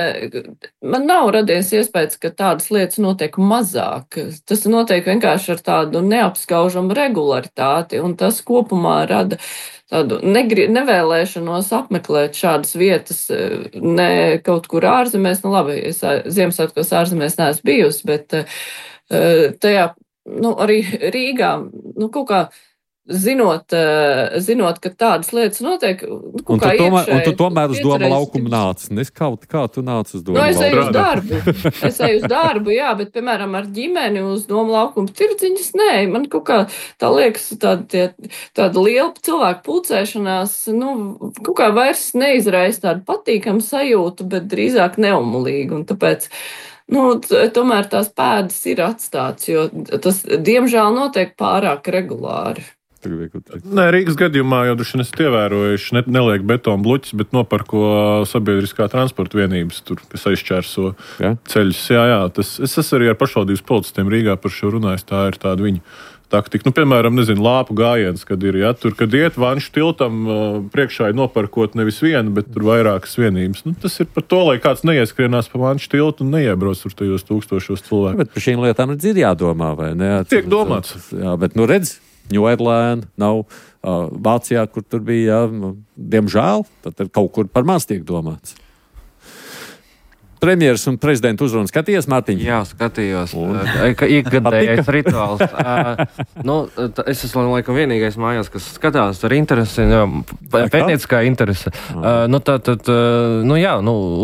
nav radies iespējas, ka tādas lietas notiek mazāk. Tas notiek vienkārši ar tādu neapskaužamu regularitāti, un tas kopumā rada tādu nevēlēšanos apmeklēt šādas vietas, ne kaut kur ārzemēs. Labi, es Ziemassvētkos ārzemēs neesmu bijusi, bet tajā, arī Rīgā, kaut kā zinot, ka tādas lietas notiek, un tu tomēr uz Doma laukumu nāc. Kā tu nāc uz Doma laukumu? Es eju uz darbu. Es eju uz darbu, jā, bet, piemēram, ar ģimeni uz Doma laukumu tirdziņas, nē, man kaut kā tā liekas, tāda liela cilvēku pulcēšanās, kaut kā vairs neizraisa tādu patīkamu sajūtu, bet drīzāk neumulīgu, un tāpēc tomēr tās pēdas ir atstāts, jo tas, diemžēl, notiek pārāk regulāri. Nē, Rīgas gadījumā jau droši vien esat ievērojuši, neliek betonu bluķis, bet noparko sabiedriskā transporta vienības, tur, kas aizšķērso ceļus. Jā, es arī ar pašvaldības policistiem Rīgā par šo runājis, tā ir tāda viņa taktika. Piemēram, lāpu gājiens, kad ir, tur, kad iet Vanšu tiltam, priekšā ir noparkot nevis vienu, bet tur vairākas vienības. Tas ir par to, lai kāds neieskrienās pa Vanšu tiltu un neiebrauc tur tajos tūkstošos cilvēku. Bet par šīm lietām ir jādomā, vai ne? Tiek domāts. Jā, bet redz, Ņūerlēna nav Vācijā, kur tur bija, diemžēl, tad kaut kur par maz tiek domāts. Premjeras un prezidenta uzrunu skatījies, Mārtiņ? Jā, skatījos. Ikgadējais rituāls. Es esmu laikam vienīgais mājās, kas skatās ar interesi, pētnieciskā interese.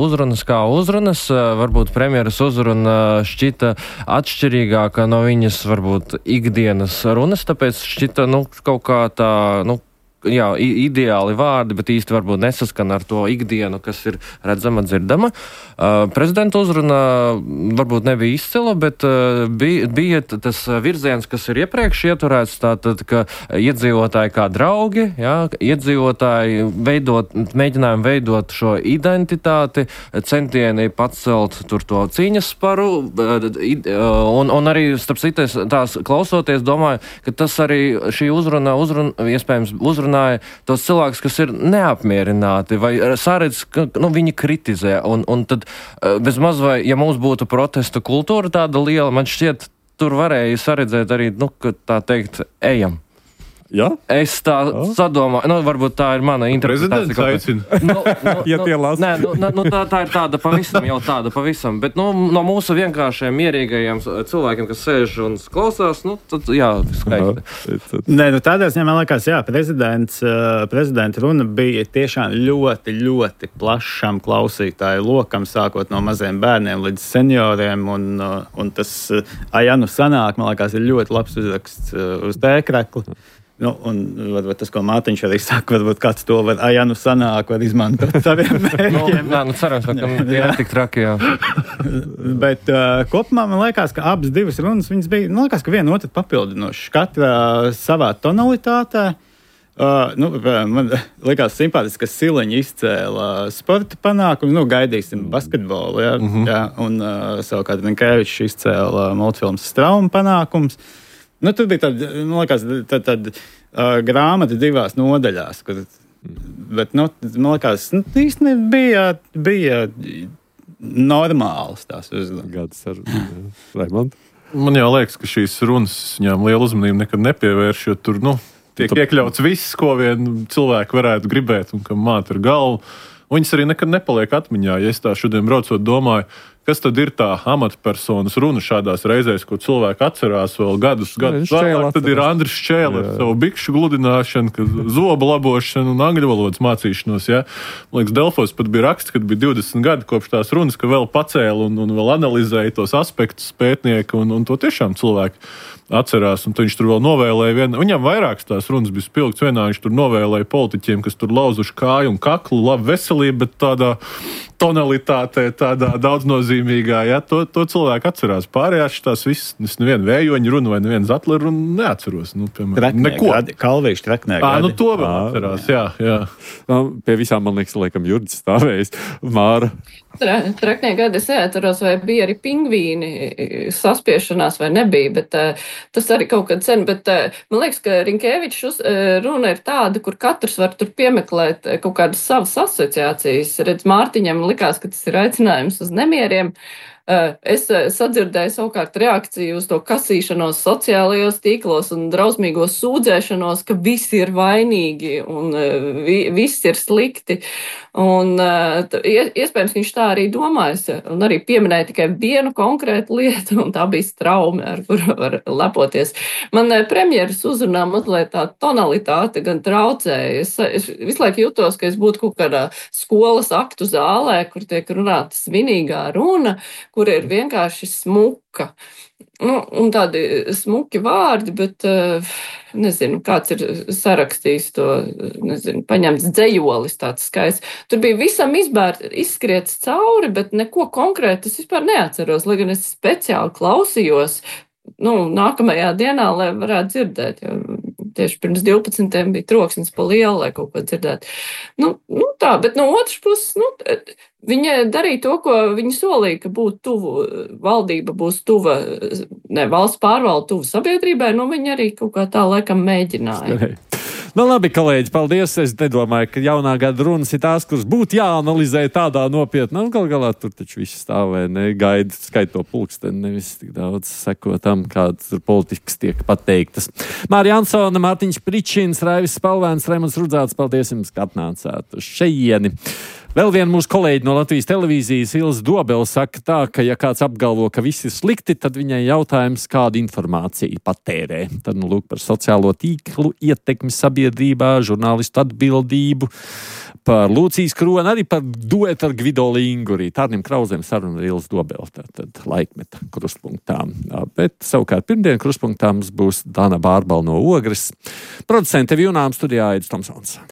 Uzrunas kā uzrunas. Varbūt premjeras uzruna šķita atšķirīgāka no viņas varbūt ikdienas runas, tāpēc šķita kaut kā tā, ideāli vārdi, bet īsti varbūt nesaskan ar to ikdienu, kas ir redzama, dzirdama. Prezidenta uzruna varbūt nebija izcila, bet bija tas virziens, kas ir iepriekš ieturēts, tātad, ka iedzīvotāji kā draugi, iedzīvotāji mēģinājumi veidot šo identitāti, centieni pacelt tur to cīņas sparu, un arī, starp citu, tās klausoties, domāju, ka tas arī šī uzruna iespējams uzrunā uzrunāja tos cilvēkus, kas ir neapmierināti vai saredz, ka viņi kritizē. Un tad bezmaz vai, ja mums būtu protesta kultūra tāda liela, man šķiet, tur varēja saredzēt arī, ka tā teikt, ejam. Ja? Es tā sadomāju, varbūt tā ir mana interpretācija. Prezidents aicina. Ja tie lasa. Tā ir tāda pavisam, bet no mūsu vienkāršiem mierīgajiem cilvēkiem, kas sēž un klausās, tad jā, skaisti. Nē, tādā ziņā man liekas, jā, prezidenta runa bija tiešām ļoti, ļoti plašam klausītāju lokam, sākot no maziem bērniem līdz senioriem, un tas Ajanu sanāk, man liekas, ir ļoti labs uzraksts uz tēkrekli. Un varbūt tas, ko Mārtiņš arī saka, varbūt kāds to var, ja sanāk, var izmantot saviem mērķiem. Cerams, ka jā, tik traki, jā. Bet kopumā man liekas, ka abas divas runas, viņas bija, man liekas, ka viena otru papildinošas. Katra savā tonalitātē. Man liekas simpātiski, ka Siliņa izcēla sporta panākumu, gaidīsim basketbolu, jā, jā, un savukārt Rinkēvičs izcēla multfilmas Strauma panākums. Tur bija tāda grāmata divās nodaļās, bet, man liekas, īstenībā bija normāls tās uzmanības. Raimond? Man jau liekas, ka šīs runas viņām lielu uzmanību nekad nepievērš, jo tur, tiek iekļauts viss, ko vien cilvēki varētu gribēt un kam māt ar galvu. Viņas arī nekad nepaliek atmiņā. Ja es tā šodien braucot domāju, kas tad ir tā amatpersonas runa šādās reizēs, ko cilvēki atcerās vēl gadus vēlāk, tad ir Andris Šķēle ar savu bikšu gludināšanu, zobu labošanu un angļu valodas mācīšanos. Ja? Man liekas, Delfos pat bija raksts, kad bija 20 gadi kopš tās runas, ka vēl pacēla un vēl analizēja tos aspektus pētnieki un to tiešām cilvēki atcerās, un viņš tur vēl novēlēja viņam vairākas tās runas bija spilgts vienā, viņš tur novēlēja politiķiem, kas tur lauzuši kāju un kaklu, labu veselību, bet tādā tonalitātē, tādā daudznozīmīgā, ja, to cilvēku atcerās. Pārējās tās visas, es nevienu vējoņu runu vai nevienu zatleru runu neatceros. Piemēram, neko. Kalvīši treknē gadi. To vēl atcerās, jā. Pie visām, man liekas, laikam Jurģis stāvējis. Māra. Treknie gadi es neatceros, vai bija arī pingvīni saspiešanās vai nebija, bet tas arī kaut kad sen, bet man liekas, ka Rinkēvičs runa ir tāda, kur katrs var tur piemeklēt kaut kādas savas asociācijas. Redz, Mārtiņam likās, ka tas ir aicinājums uz nemieriem. Es sadzirdēju savukārt reakciju uz to kasīšanos sociālajos tīklos un drausmīgo sūdzēšanos, ka visi ir vainīgi un viss ir slikti. Un iespējams, viņš tā arī domājas un arī pieminēja tikai vienu konkrētu lietu, un tā bija Straume, ar kuru var lepoties. Man premjeras uzrunā mazliet tā tonalitāte gan traucēja. Es visu laiku jutos, ka es būtu kaut kādā skolas aktu zālē, kur tiek runāta svinīgā runa, kur ir vienkārši smuka. Un tādi smuki vārdi, bet nezinu, kāds ir sarakstījis to, paņemts dzejolis tāds skaists. Tur bija visam izskriets cauri, bet neko konkrēti es vispār neatceros, lai gan es speciāli klausījos, nākamajā dienā, lai varētu dzirdēt, jo tieši pirms 12. bija troksnis pa lielu, lai kaut ko dzirdētu. Tā, bet no otras puses, viņa darīja to, ko viņa solīja, ka būtu tuvu, valdība būs tuva, valsts pārvalda tuvu sabiedrībai, viņa arī kaut kā tā laikam mēģināja. Labi, kolēģi, paldies. Es nedomāju, ka jaunā gada runas ir tās, kuras būtu jāanalizē tādā nopietnā. Gal galā tur taču viss stāvē, gaida, skaito pulksteni, nevis tik daudz seko tam, kādas politikas tiek pateiktas. Mārija Ansone, Mārtiņš Pričins, Raivis Spalvēns, Raimonds Rudzāts, paldies jums, ka atnācāt uz šejieni. Vēl viena mūsu kolēģi no Latvijas televīzijas, Ilze Dobele, saka tā, ka ja kāds apgalvo, ka viss ir slikti, tad viņai jautājums, kādu informāciju patērē. Tad lūk par sociālo tīklu ietekmi sabiedrībā, žurnālistu atbildību, par Lūcijas Kroni, arī par duetu ar Gvido Linguri. Tārnim Krauzēm saruna ar Ilze Dobele, tad laikmeta krustpunktā. Bet savukārt pirmdien krustpunktā mums būs Dana Bārbala no Ogres. Producente Junām studijā Aidis Tomsons.